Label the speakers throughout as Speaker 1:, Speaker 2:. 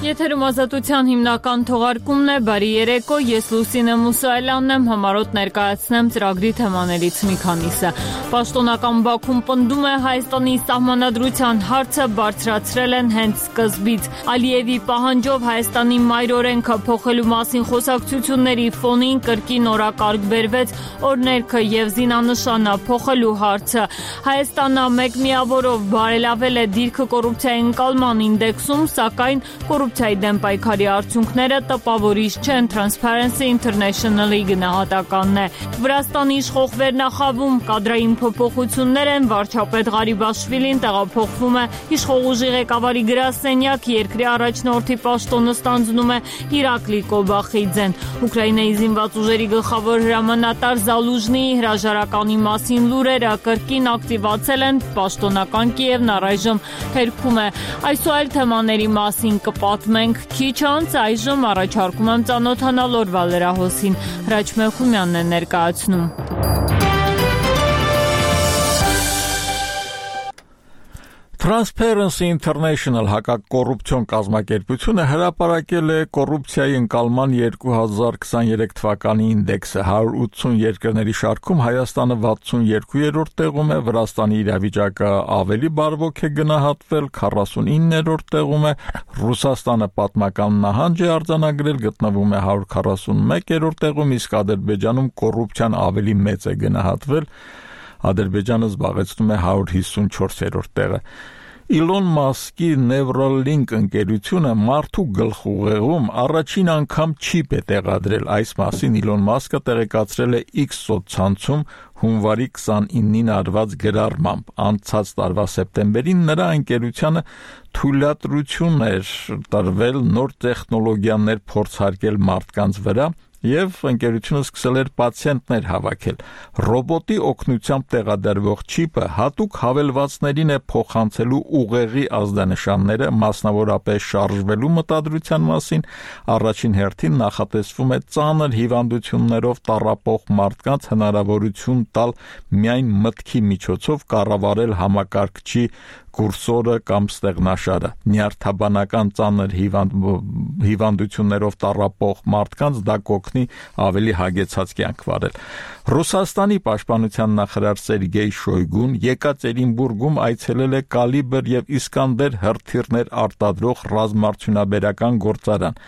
Speaker 1: Եթերում Ազատության հիմնական թողարկումն է, բարի երեկո, ես Լուսինե Մուսայելյանն եմ, համարոտ ներկայացնեմ ծրագրի թեմաներից մի քանիսը։ Պաշտոնական Բաքուն պնդում է Հայաստանի սահմանադրության հարցը բարձրացրել են հենց սկզբից։ Ալիևի պահանջով Հայաստանի մայրօրենքը փոխելու մասին խոսակցությունների ֆոնին կրկին օրակարգ բերվեց օրներքը եւ զինանշանը փոխելու հարցը։ Հայաստանը մեկ միավորով բարելավել է դիրքը կոռուպցիայի ընկալման ինդեքսում, սակայն կոռուպցիայի դեմ պայքարի արդյունքները տպավորիչ չեն, Transparency International-ի գնահատականն է։ Վրաստանի իշխող վերնախավում կադրային փոփոխություններ են, վարչապետ Ղարիբաշվիլին տեղափոխվում է իշխող ուժի ղեկավարի գրասենյակ, երկրի առաջնորդի պաշտոնը ստանձնում է Իրակլի Կոբախիձեն։ Ուկրաինայի զինված ուժերի գլխավոր հրամանատար Զալուժնիի հրաժարականի մասին լուրերը կրկին ակտիվացել են, պաշտոնական Կիևն առայժմ հերքում է։ Այսօր թեմաների մասին կպատմենք քիչ անց, այժմ առաջարկում եմ ծանոթանալ օրվա լրահոսին։ Հրաչ Մեխումյանն է ներկայացնում։
Speaker 2: Transparency International հակակոռուպցիոն կազմակերպությունը հրապարակել է կոռուպցիայի ընկալման 2023 թվականի ինդեքսը։ 180 երկրների շարքում Հայաստանը 62-րդ տեղում է, Վրաստանի իրավիճակը ավելի բարվոք է գնահատվել, 49-րդ տեղում է, Ռուսաստանը պատմական նահանջ է արձանագրել, գտնվում է 141-րդ տեղում, իսկ Ադրբեջանում կոռուպցիան ավելի մեծ է գնահատվել, Ադրբեջանը զբաղեցնում է 154-րդ տեղը։ Իլոն Մասկի Neuralink ընկերությունը մարդու գլխուղեղում առաջին անգամ չիպ է տեղադրել։ Այս մասին Իլոն Մասկը տեղեկացրել է X սոցցանցում հունվարի 29-ին արված գրառմամբ։ Անցած տարվա սեպտեմբերին նրա ընկերությանը թույլատրություն էր տրվել նոր տեխնոլոգիաներ փորձարկել մարդկանց վրա, եւ ընկերությունը սկսել էր պացիենտներ հավաքել։ Ռոբոտի օգնությամբ տեղադրվող չիպը հատուկ հավելվածներին է փոխանցելու ուղեղի ազդանշանները, մասնավորապես շարժվելու մտադրության մասին, առաջին հերթին նախատեսվում է ծանր հիվանդություններով տառապող մարդկանց հնարավորություն տալ միայն մտքի միջոցով կառավարել համակարգչի կուրսորը կամ ստեղնաշարը։ Նյարդաբանական ծանր հիվանդություններով տառապող մարդկանց դա կօգնի ավելի հագեցած կյանք վարել։ Ռուսաստանի պաշտպանության նախարար Սերգեյ Շոյգուն Եկատերինբուրգում այցելել է Կալիբր եւ Իսկանդեր հրթիռներ արտադրող ռազմարդյունաբերական գործարան։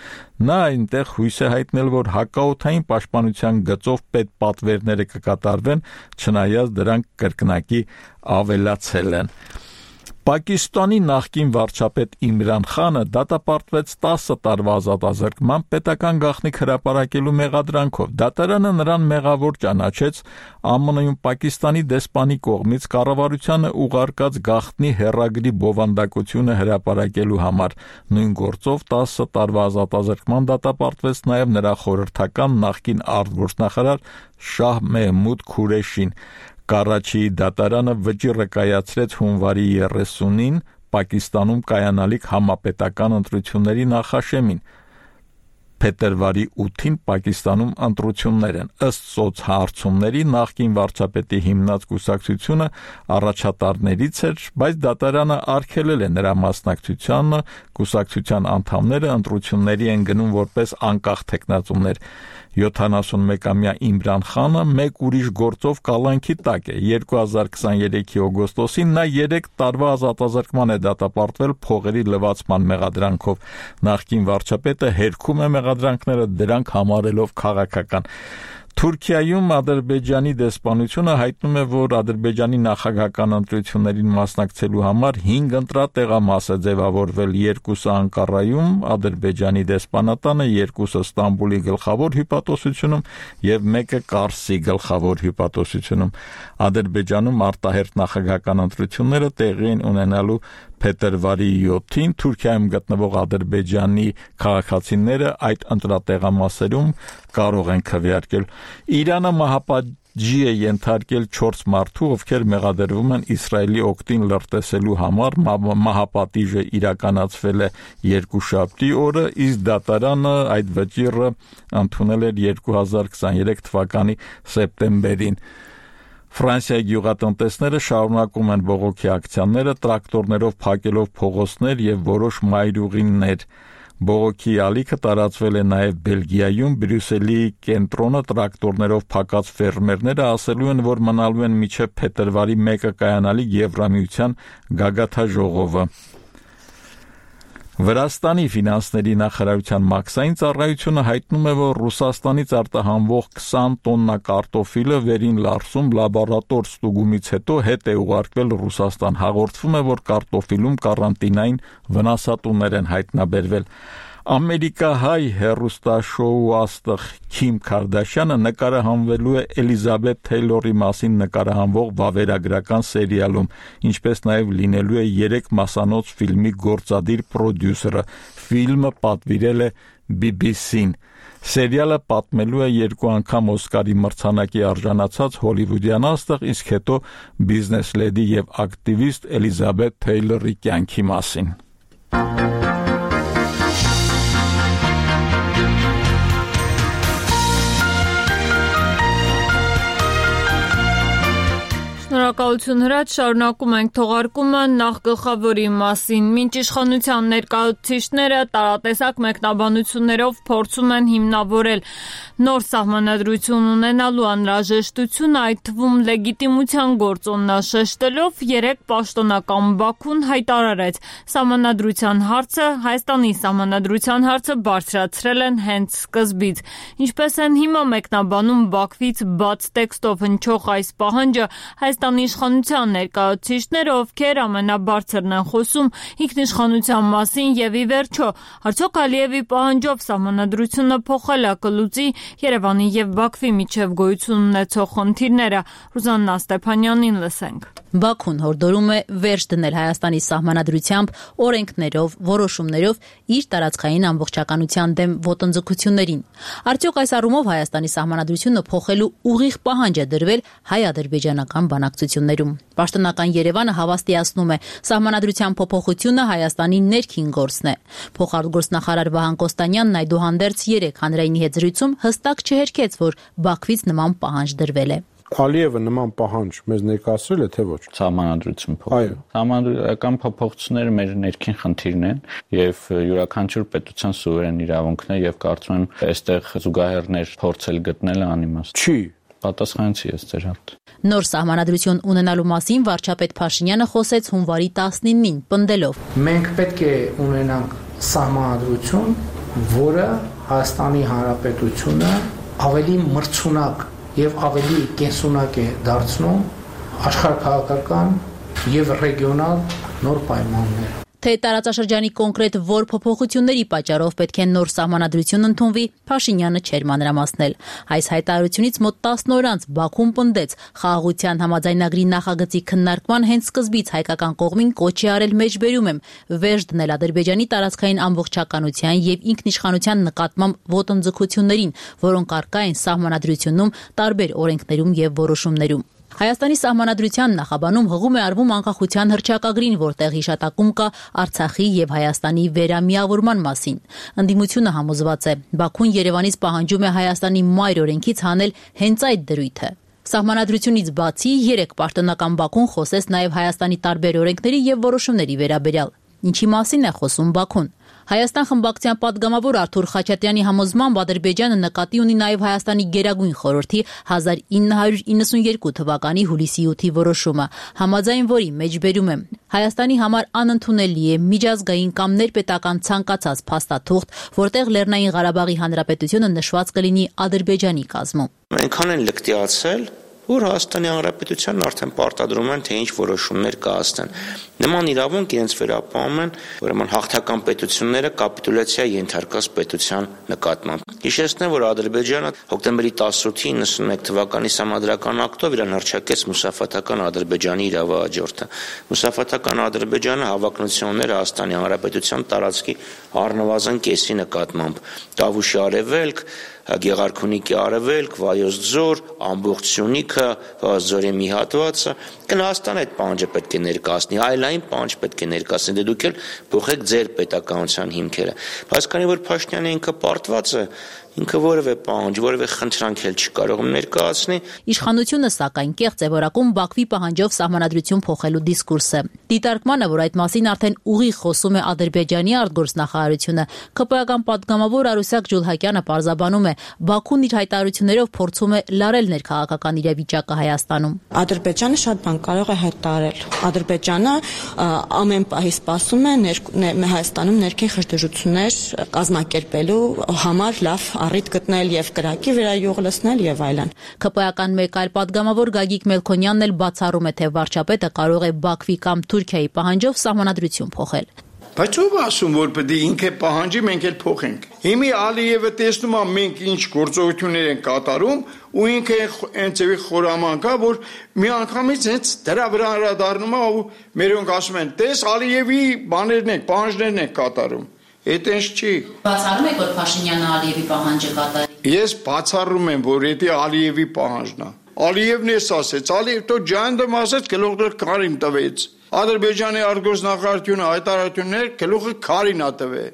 Speaker 2: Նա այնտեղ հույս է հայտնել, որ հակաօդային պաշտպանության գծով պետպատվերները կկատարվեն, չնայած դրանք կրկնակի ավելացել են։ Պակիստանի նախկին վարչապետ Իմրան Խանը դատապարտվեց 10 տարվա ազատազրկման պետական գաղտնիք հրապարակելու մեղադրանքով։ Դատարանը նրան մեղավոր ճանաչեց ԱՄՆ-ում Պակիստանի դեսպանի կողմից կառավարությանը ուղարկած գաղտնի հեռագրի բովանդակությունը հրապարակելու համար։ Նույն գործով 10 տարվա ազատազրկման դատապարտվեց նաև նրա խորհրդական նախկին արտգործնախարար Շահ Մեհմուդ Քուրեշին։ Կարաչիի դատարանը վճիռը կայացրեց հունվարի 30-ին Պակիստանում կայանալիք համապետական ընտրությունների նախաշեմին։ Փետրվարի 8-ին Պակիստանում ընտրություններ են։ Ըստ սոցհարցումների նախկին վարչապետի հիմնած կուսակցությունը առաջատարներից էր, բայց դատարանը արգելել է նրա մասնակցությանը, կուսակցության անդամները ընտրությունների են գնում որպես անկախ թեկնածուներ։ 71-ամյա Իմրան Խանը մեկ ուրիշ գործով կալանքի տակ է։ 2023-ի օգոստոսին նա 3 տարվա ազատազրկման է դատապարտվել փողերի լվացման մեղադրանքով։ Նախկին վարչապետը հերքում է մեղադրանքները, դրանք համարելով քաղաքական։ Թուրքիայում Ադրբեջանի դեսպանությունը հայտնում է, որ Ադրբեջանի նախագահական ընտրություններին մասնակցելու համար 5 ընտրատեղամաս է ձևավորվել, 2-ը Անկարայում, Ադրբեջանի դեսպանատանը, 2-ը Ստամբուլի գլխավոր հյուպատոսությունում եւ 1-ը Կարսի գլխավոր հյուպատոսությունում։ Ադրբեջանում արտահերթ նախագահական ընտրությունները տեղի են ունենալու փետրվարի 7-ին Թուրքիայում գտնվող Ադրբեջանի քաղաքացիները այդ ընտրատեղամասերում կարող են քվեարկել։ Իրանը մահապատժի է ենթարկել 4 մարդու, ովքեր մեղադրվում են Իսրայելի օգտին լրտեսելու համար։ Մահապատիժը իրականացվել է երկուշաբթի օրը, իսկ դատարանը այդ վճիռը ընդունել էր 2023 թվականի սեպտեմբերին։ Ֆրանսիայի գյուղատնտեսները շարունակում են բողոքի ակցիաները, տրակտորներով փակելով փողոցներ եւ որոշ մայրուղիներ։ Բողոքի ալիքը տարածվել է նաև Բելգիայում, Բրյուսելի կենտրոնը տրակտորներով փակած ֆերմերները ասելու են, որ մնալու են մինչև փետրվարի 1-ը կայանալի Եվրամիության գագաթաժողովը։ Վրաստանի ֆինանսների նախարարության մաքսային ծառայությունը հայտնում է, որ Ռուսաստանից արտահանվող 20 տոննա կարտոֆիլը վերին Լարսում լաբորատոր ստուգումից հետո հետ է ուղարկվել Ռուսաստան։ Հաղորդվում է, որ կարտոֆիլում կարանտինային վնասատուներ են հայտնաբերվել։ Ամերիկահայ հեռուստաշոու աստղ Քիմ Քարդաշյանը նկարահանվելու է Էլիզաբեթ Թեյլորի մասին նկարահանվող վավերագրական սերիալում, ինչպես նաև լինելու է 3 մասանոց ֆիլմի գործադիր պրոդյուսերը։ Ֆիլմը պատվիրել է BBC-ն։ Սերիալը պատմելու է 2 անգամ Օսկարի մրցանակի արժանացած հոլիվուդյան աստղ, իսկ հետո բիզնես լեդի եւ ակտիվիստ Էլիզաբեթ Թեյլորի կյանքի մասին։
Speaker 1: Շնորհակալություն Հրաչ, շարունակում ենք թողարկումը նախ գլխավորի մասին։ Մինչ իշխանության ներկայացուցիչները տարատեսակ մեկնաբանություններով փորձում են հիմնավորել նոր սահմանադրություն ունենալու անհրաժեշտությունը, այդ թվում լեգիտիմության գործոննաշեշտելով, 3 պաշտոնական Բաքուն հայտարարեց, սահմանադրության հարցը, Հայաստանի սահմանադրության հարցը բարձրացրել են հենց սկզբից։ Ինչպես են հիմա մեկնաբանում Բաքվից բաց տեքստով հնչող այս պահանջը, Հայաստանի իշխանության ներկայացուցիչները, ովքեր ամենաբարձրն են խոսում ինքնիշխանության մասին եւ ի վերջո, արդյոք Ալիևի պահանջով սահմանադրությունը փոխելը կլուծի Երևանի եւ Բաքվի միջև գոյություն ունեցող խնդիրները։ Ռուզաննա Ստեփանյանին լսենք։
Speaker 3: Բաքուն հորդորում է վերջ դնել Հայաստանի սահմանադրությամբ, օրենքներով, որոշումներով իր տարածքային ամբողջականության դեմ ոտնձգություններին։ Արդյոք այս առումով Հայաստանի սահմանադրությունը փոխելու ուղիղ պահանջ է դրվել հայ-ադրբեջանական բանակցություններում։ Պաշտոնական Երևանը հավաստիացնում է, սահմանադրության փոփոխությունը Հայաստանի ներքին գործն է։ Փոխարտգործնախարար Վահան Կոստանյանն այդուհանդերձ 3 հանրայինի հետ զրույցում հստակ չհերքեց, որ Բաքվից նման պահանջ դրվել է։
Speaker 4: Ալիևը նման պահանջ մեզ ներկայացրել է, թե ոչ։
Speaker 5: Սահմանադրություն փոխել։ Սահմանադրական փոփոխությունները մեր ներքին խնդիրն են եւ յուրաքանչյուր պետության սուվերեն իրավունքն է եւ կարծում եմ այստեղ զուգահեռներ փորձել գտնելը անիմաստ
Speaker 4: Չի։
Speaker 5: Պատասխանեցի ես ձեր հարցին։
Speaker 3: Նոր սահմանադրություն ունենալու մասին վարչապետ Փաշինյանը խոսեց հունվարի 19-ին, պնդելով.
Speaker 6: Մենք պետք է ունենանք սահմանադրություն, որը Հայաստանի Հանրապետությունը ավելի մրցունակ եւ ավելի կենսունակ է դարձնում աշխարհաքաղաքական եւ ռեգիոնալ նոր պայմաններ։
Speaker 3: Թե տարածաշրջանի կոնկրետ որ փոփոխությունների պատճառով պետք է նոր սահմանադրություն ընդունվի, Փաշինյանը չէր մանրամասնել։ Այս հայտարարությունից մոտ 10 օր անց Բաքուն պնդեց, խաղաղության համաձայնագրի նախագծի քննարկման հենց սկզբից հայկական կողմին կոչ է արել մեջբերում եմ վերջ դնել Ադրբեջանի տարածքային ամբողջականության եւ ինքնիշխանության նկատմամբ ոտնձգություններին, որոնք առկա են սահմանադրությունում, տարբեր օրենքներում եւ որոշումներում։ Հայաստանի սահմանադրության նախաբանում հղում է արվում անկախության հռչակագրին, որտեղ հիշատակում կա Արցախի եւ Հայաստանի վերամիավորման մասին։ Ընդդիմությունը համոզված է, Բաքուն Երևանից պահանջում է Հայաստանի մայր օրենքից հանել հենց այդ դրույթը։ Սահմանադրությունից բացի 3 պաշտոնական Բաքուն խոսեց նաև Հայաստանի տարբեր օրենքների եւ որոշումների վերաբերյալ։ Ինչի մասին է խոսում Բաքուն։ Հայաստան խմբակցության падգամավոր Արթուր Խաչատրյանի համոզմամբ Ադրբեջանը նկատի ունի նաև Հայաստանի Գերագույն խորհրդի 1992 թվականի հուլիսի 8-ի որոշումը, համաձայն որի մեջբերում է Հայաստանի համար անընդունելի է միջազգային կամ ներպետական ցանկացած փաստաթուղթ, որտեղ Լեռնային Ղարաբաղի Հանրապետությունը նշված կլինի Ադրբեջանի կազմում։
Speaker 7: Այնքան են լկտիացել, որ Հայաստանի Հանրապետությանն արդեն պարտադրում են, թե ինչ որոշումներ կայացնեն։ Նման իրավունք իրենց վերապահում են, ուրեմն հաղթական պետությունները կապիտուլյացիա ենթարկած պետության նկատմամբ։ Հիշեցնեմ, որ Ադրբեջանը հոկտեմբերի 18-ի 91 թվականի սահմանադրական ակտով իրան հռչակեց մուսաֆաթական Ադրբեջանի իրավահաջորդը։ Մուսաֆաթական Ադրբեջանը հավակնություն ուներ Հայաստանի Հանրապետության տարածքի առնվազն կեսի նկատմամբ։ Տավուշի արևելք, Գեղարքունիքի արևելք, Վայոց ձոր, ամբողջ Սյունիքը, Վայոց ձորի մի հատվածը, Հայաստանը այդ պահանջը պետք է ներկայացնի, այլ այն պահանջ պետք է ներկայացնի, դե դուք էլ փոխեք ձեր պետականության հիմքերը։ Բայց քանի որ Փաշինյանը ինքը պարտված է ինքը որևէ պահանջ, որևէ խնդրանք էլ չի կարող ներկայացնի։
Speaker 3: Իշխանությունը սակայն կեղծ է որակում Բաքվի պահանջով սահմանադրություն փոխելու դիսկուրսը։ Դիտարկմանը, որ այդ մասին արդեն ուղիղ խոսում է Ադրբեջանի արտգործնախարարությունը, ԿՊ-ական պատգամավոր Արուսյակ Ջուլհակյանը պարզաբանում է, Բաքուն իր հայտարարություններով փորձում է լարել ներքաղաքական իրավիճակը Հայաստանում։
Speaker 8: Ադրբեջանը շատ բան կարող է հայտարարել։ Ադրբեջանը ամեն պահի սպասում է Հայաստանում ներքին խժդժություններ կազմակերպելու համար լավ առիթ գտնել եւ կրակի վերայուղ լցնել եւ այլն։
Speaker 3: ԿՊ-ական մեկ այլ պատգամավոր Գագիկ Մելքոնյանն էլ բացառում է, թե վարչապետը կարող է Բաքվի կամ Թուրքիայի պահանջով սահմանադրություն փոխել։
Speaker 9: Բայց ով ասում, որ պետք է ինքը պահանջի, մենք էլ փոխենք։ Հիմի Ալիևը տեսնում է մենք ինչ գործողություններ են կատարում ու ինքը հենց էվի խորամանկ է, որ մի անգամից հենց դրա վրա հրադառնում է ու մերոնք ասում են, տես Ալիևի բաներն են, պահանջներն են կատարում։ Այդ ինչ չի։
Speaker 3: Բացառում եք, որ Փաշինյանը Ալիևի պահանջը կատարի։
Speaker 9: Ես բացառում եմ, որ դա Ալիևի պահանջն է։ Ալիևն էս ասեց, Ալիև то ջանդը ասեց, գլուխը Կարին տվեց։ Ադրբեջանի արտգործնախարարությունը հայտարարություններ գլուխը Կարին տվե։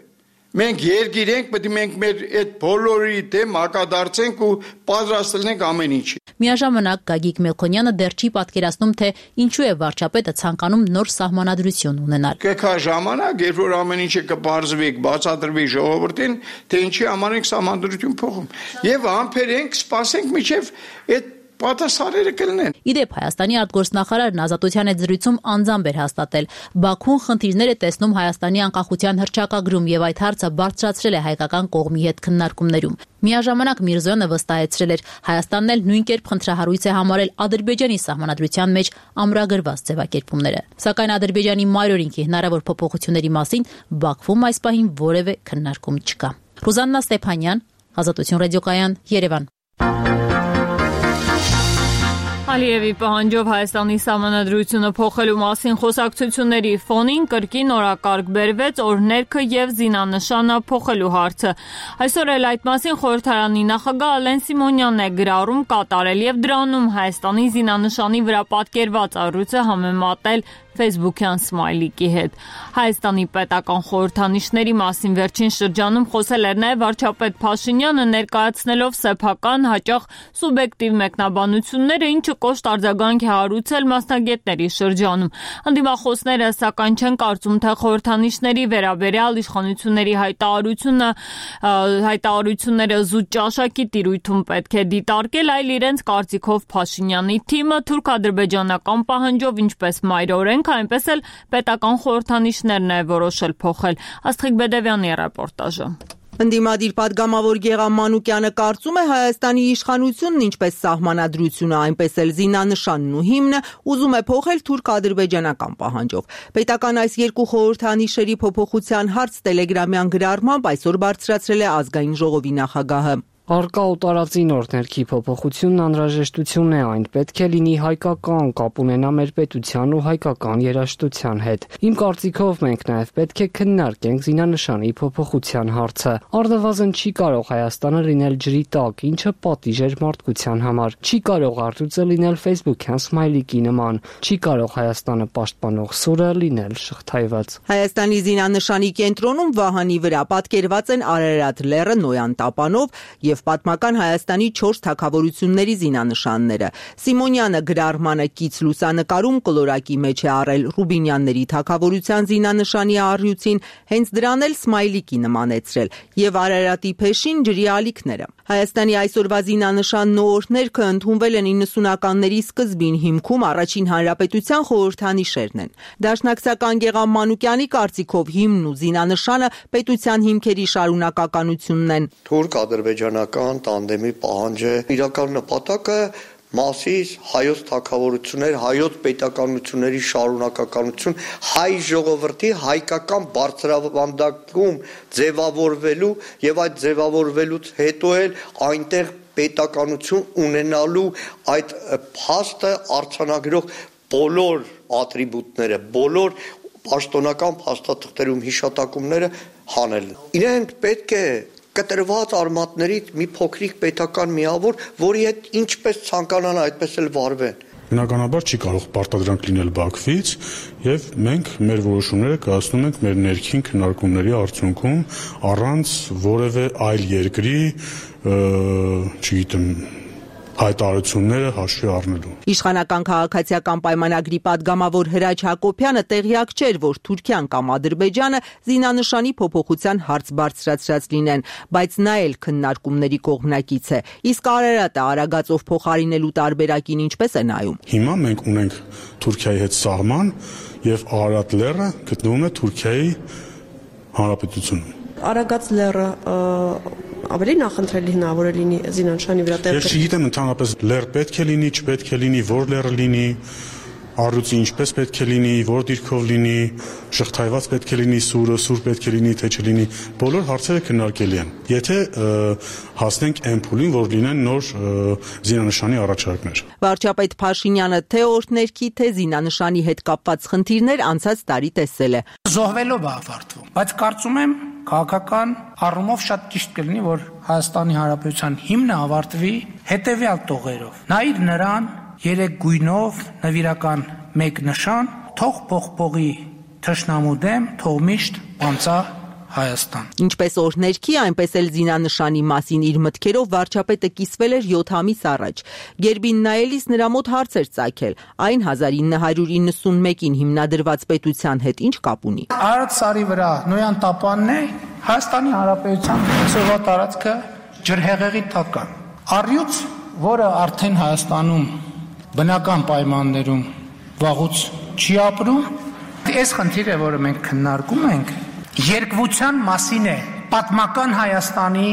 Speaker 9: Մենք երկիր ենք, պետք է մենք մեր այդ բոլորի դեմ հակադարձենք ու պատրաստ լինենք ամեն ինչի։
Speaker 3: Միաժամանակ Գագիկ Մելքոնյանը դեռ չի պատկերացնում, թե ինչու է վարչապետը ցանկանում նոր սահմանադրություն ունենալ։
Speaker 9: Կգա ժամանակ, երբ որ ամեն ինչը կբարձվի, բացատրվի ժողովրդին, թե ինչի համար ենք սահմանադրություն փոխում։ Եվ համբերենք, սպասենք մինչև այդ պատասխանները կլինեն։
Speaker 3: Իդեպ Հայաստանի արտգործնախարարն Ազատության այդ զրույցում անձամբ էր հաստատել. Բաքուն խնդիրներ է տեսնում Հայաստանի անկախության հռչակագրում եւ այդ հարցը բարձրացրել է հայկական կողմի հետ քննարկումներում։ Միաժամանակ Միրզոյանը վստահեցրել էր, Հայաստանն էլ նույն կերպ խնդրահարույց է համարել Ադրբեջանի սահմանադրության մեջ ամրագրված ձևակերպումները։ Սակայն Ադրբեջանի մայրօրինքի հնարավոր փոփոխությունների մասին Բաքվում այս պահին որևէ քննարկում չկա։ Ռուզաննա Ստեփանյան, Ազատություն ռադիոկայան, Երևան։
Speaker 1: Ալիևի պահանջով Հայաստանի սահմանադրությունը փոխելու մասին խոսակցությունների ֆոնին կրկին օրակարգ բերվեց օրհներքը եւ զինանշանը փոխելու հարցը։ Այսօր էլ այդ մասին խորհրդարանի նախագահ Ալեն Սիմոնյանն է գրառում կատարել եւ դրանում Հայաստանի զինանշանի վրա պատկերված առույցը համեմատել Facebook-յան սմայլիկի հետ։ Հայաստանի պետական խորհրդանիշների մասին վերջին շրջանում խոսել էր նաև վարչապետ Փաշինյանը, ներկայացնելով սեփական հաճախ սուբյեկտիվ մեկնաբանությունները, ինչը կոշտ արձագանք է հարուցել մասնագետների շրջանում։ Անդիմախոսները սակայն չեն կարծում, թե խորհրդանիշների վերաբերյալ իշխանությունների հայտարարությունները զուտ ճաշակի տիրույթում պետք է դիտարկել, այլ իրենց կարծիքով Փաշինյանի թիմը թուրք-ադրբեջանական պահանջով ինչպես մայրօրենք այնպես էլ պետական խորհրդանիշներն է որոշել փոխել։ Աստղիկ Բեդևյանի ռեպորտաժը։
Speaker 10: Ընդդիմադիր պատգամավոր Գեղամ Մանուկյանը կարծում է Հայաստանի իշխանությունն ինչպես սահմանադրությունը, այնպես էլ զինանշանն ու հիմնը ուզում է փոխել թուրք-ադրբեջանական պահանջով։ Պետական այս երկու խորհրդանիշերի փոփոխության հարց տելեգրամյան գրառմամբ այսօր բարձրացրել է ազգային ժողովի նախագահը։
Speaker 11: Արկա ու տարածի նոր ներքի փոփոխությունն անհրաժեշտություն է, այն պետք է լինի հայկական, կապ ունենա մեր պետության ու հայկական երաժշտության հետ։ Իմ կարծիքով մենք նաև պետք է քննարկենք զինանշանի փոփոխության հարցը։ Առնվազն չի կարող Հայաստանը լինել ջրի տակ, ինչը պատիժ էր մարդկության համար։ Չի կարող առյուծը լինել Facebook-յան սմայլիկի նման։ Չի կարող Հայաստանը պաշտպանող սուրը լինել շղթայված։
Speaker 10: Հայաստանի զինանշանի կենտրոնում Վահանի վրա պատկերված են Արարատ լեռը Նոյան տապանով եւ պատմական Հայաստանի 4 թագավորությունների զինանշանները։ Սիմոնյանը գրառմանը կից լուսանկարում կլորակի մեջ է առել Ռուբինյանների թագավորության զինանշանի առյուծին, հենց դրան էլ սմայլիկի նմանեցրել եւ Արարատի փեշին ջրի ալիքները։ Հայաստանի այսօրվա զինանշանն ու օրհներքը ընդունվել են 90-ականների սկզբին, հիմքում առաջին հանրապետության խորհրդանիշերն են։ Դաշնակցական Գեղամ Մանուկյանի կարծիքով հիմնն ու զինանշանը պետության հիմքերի շարունակականությունն են։
Speaker 12: Թուրք-ադրբեջանական տանդեմի պահանջը իրական նպատակը Մասիս հայոց թագավորություններ, հայոց պետականությունների շարունակականություն, հայ ժողովրդի հայկական բարձրավանդակում ձևավորվելու եւ այդ ձևավորվելուց հետո էլ այնտեղ պետականություն ունենալու այդ փաստը արձանագրող բոլոր ատրիբուտները, բոլոր պաշտոնական փաստաթղթերում հիշատակումները հանել։ Իրենք պետք է կտրված արմատներից մի փոքրիկ պետական միավոր, որի հետ ինչպես ցանկանան, այդպես էլ վարվեն։
Speaker 13: բնականաբար չի կարող պարտադրանք լինել Բաքվից, եւ մենք մեր որոշումները կայացնում ենք մեր ներքին քննարկումների արդյունքում առանց որևէ այլ երկրի, չգիտեմ, հայտարարությունները հաշվի առնելու։
Speaker 10: Իշխանական քաղաքացիական պայմանագրի падգամավոր Հրաչ Հակոբյանը տեղյակ չէր, որ Թուրքիան կամ Ադրբեջանը զինանշանի փոփոխության հարց բարձրացրած լինեն, բայց նա էլ քննարկումների կողմնակից է։ Իսկ Արարատը Արագածով փոխարինելու տարբերակին ինչպես է նայում։
Speaker 13: Հիմա մենք ունենք Թուրքիայի հետ սահման եւ Արարատ լեռը գտնվում է Թուրքիայի հանրապետությունում։
Speaker 14: Արագած լեռը ավելի նախընտրելի հնարավոր է լինի զինանշանի վրա տեղը։
Speaker 13: Ես չգիտեմ ընդհանրապես լեռ պետք է լինի, չպետք է լինի, որ լեռը լինի, առյուծի ինչպես պետք է լինի, որ դիրքով լինի, շղթայված պետք է լինի, սուր պետք է լինի, թե չլինի, բոլոր հարցերը քննարկելի են։ Եթե հասնենք այն փուլին, որ լինեն նոր զինանշանի առաջարկներ։
Speaker 10: Վարչապետ Փաշինյանը թե օրհներքի, թե զինանշանի հետ կապված խնդիրներ անցած տարի տեսել է։
Speaker 6: Զոհվելով է ավարտվում, բայց կարծում եմ քաղաքական առումով շատ ճիշտ կլինի, որ Հայաստանի Հանրապետության հիմնը ավարտվի հետևյալ տողերով. նայիր նրան 3 գույնով նվիրական 1 նշան, թող փողփողի թշնամու դեմ, թող միշտ անցա Հայաստան։
Speaker 10: Ինչպես օրհներքի, այնպես էլ զինանշանի մասին իր մտքերով վարչապետը կիսվել էր 7 ամիս առաջ։ Գերբին նայելիս նրա մոտ հարց էր ծագել, այն 1991-ին հիմնադրված պետության հետ ինչ կապ ունի։
Speaker 6: Արարատ սարի վրա Նոյան տապանն է Հայաստանի Հանրապետության ծովա տարածքը ջրհեղեղի տակը։ Առյուծ, որը արդեն Հայաստանում բնական պայմաններում վաղուց չի ապրում, այս խնդիրը, որը մենք քննարկում ենք, երկվության մասին է պատմական Հայաստանի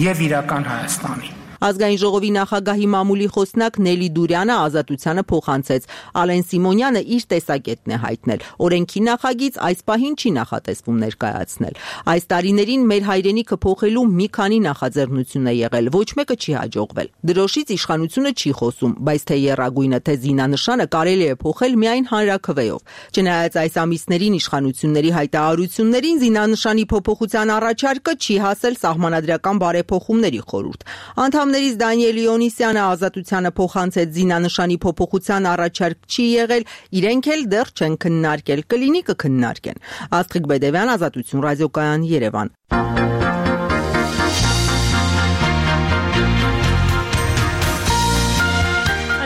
Speaker 6: եւ իրական Հայաստանի։
Speaker 10: Ազգային ժողովի նախագահի մամուլի խոսնակ Նելի Դուրյանը Ազատությանը փոխանցեց։ Ալեն Սիմոնյանը իր տեսակետն է հայտնել։ Օրենքի նախագիծ այս պահին չի նախատեսվում ներկայացնել։ Այս տարիներին մեր հայրենիքը փոխելու մի քանի նախաձեռնություն է եղել, ոչ մեկը չի հաջողվել։ Դրոշից իշխանությունը չի խոսում, բայց թե եռագույնը, թե զինանշանը կարելի է փոխել միայն հանրաքվեով։ Չնայած այս ամիսներին իշխանությունների հայտարարություններին զինանշանի փոփոխության առաջարկը չի հասել սահմանադրական բարեփոխումների խորհուրդ։ Անդամներից Դանիել Իոնիսյանը Ազատությանը փոխանցեց զինանշանի փոփոխության առաջարկ չի եղել, իրենք էլ դեռ չեն քննարկել, կլինի կքննարկեն։ Աստղիկ Բեդևյան, Ազատություն ռադիոկայան, Երևան։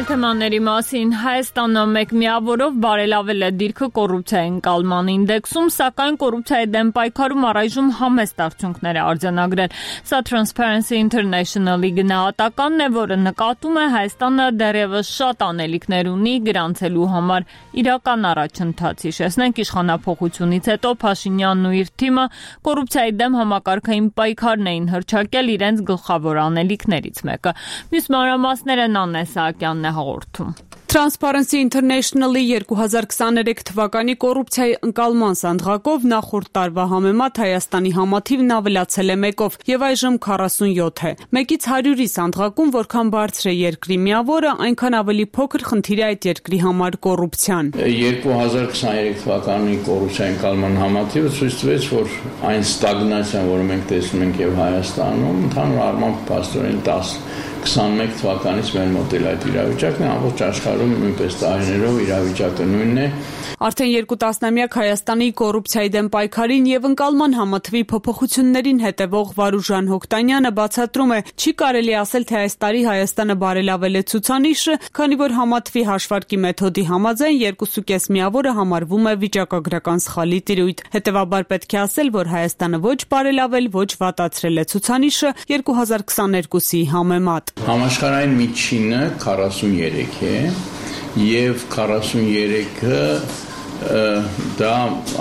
Speaker 1: Թեմաների մասին Հայաստանը մեկ միավորով բարելավել է դիրքը կոռուպցիայի ընկալման ինդեքսում, սակայն կոռուպցիայի դեմ պայքարում առայժմ համեստ արդյունքներ է արձանագրել։ Սա Transparency International-ի գնահատականն է, որը նկատում է Հայաստանը դեռևս շատ անելիքներ ունի գրանցելու համար իրական առաջընթաց։ Հիշեցնենք, իշխանափոխությունից հետո Փաշինյանն ու իր թիմը կոռուպցիայի դեմ համակարգային պայքարն էին հռչակել իրենց գլխավոր անելիքներից մեկը։ Մյուս մանրամասները Նանե Սահակյանն է հաղորդում։
Speaker 15: Transparency International-ի 2023 թվականի կոռուպցիայի ընկալման սանդղակով նախորդ տարվա համեմատ Հայաստանի համաթիվն ավելացել է 1-ով եւ այժմ 47 է։ 1-ից 100-ի սանդղակում որքան բարձր է երկրի միավորը, այնքան ավելի փոքր խնդիր է այդ երկրի համար կոռուպցիան։
Speaker 5: 2023 թվականի կոռուպցիայի ընկալման համաթիվը ցույց տվեց, որ այն ստագնացիան, որը մենք տեսնում ենք եւ Հայաստանում, ընդհանուր առմամբ փաստորեն 21 թվականից մեր մոտ էլ այդ իրավիճակն է, ամբողջ աշխարհում նույնպես տարիներով իրավիճակը նույնն է։
Speaker 15: Արդեն 2 տասնամյակ Հայաստանի կոռուպցիայի դեմ պայքարին եւ ընկալման համաթվի փոփոխություններին հետևող Վարուժան Հոկտանյանը բացատրում է, չի կարելի ասել, թե այս տարի Հայաստանը բարելավել է ցուցանիշը, քանի որ համաթվի հաշվարկի մեթոդի համաձայն 2.5 միավորը համարվում է վիճակագրական սխալի տիրույթ։ Հետևաբար պետք է ասել, որ Հայաստանը ոչ բարելավել, ոչ վատացրել է ցուցանիշը 2022-ի համեմատ։
Speaker 5: Համաշխարհային միջինը 43 է եւ 43-ը դա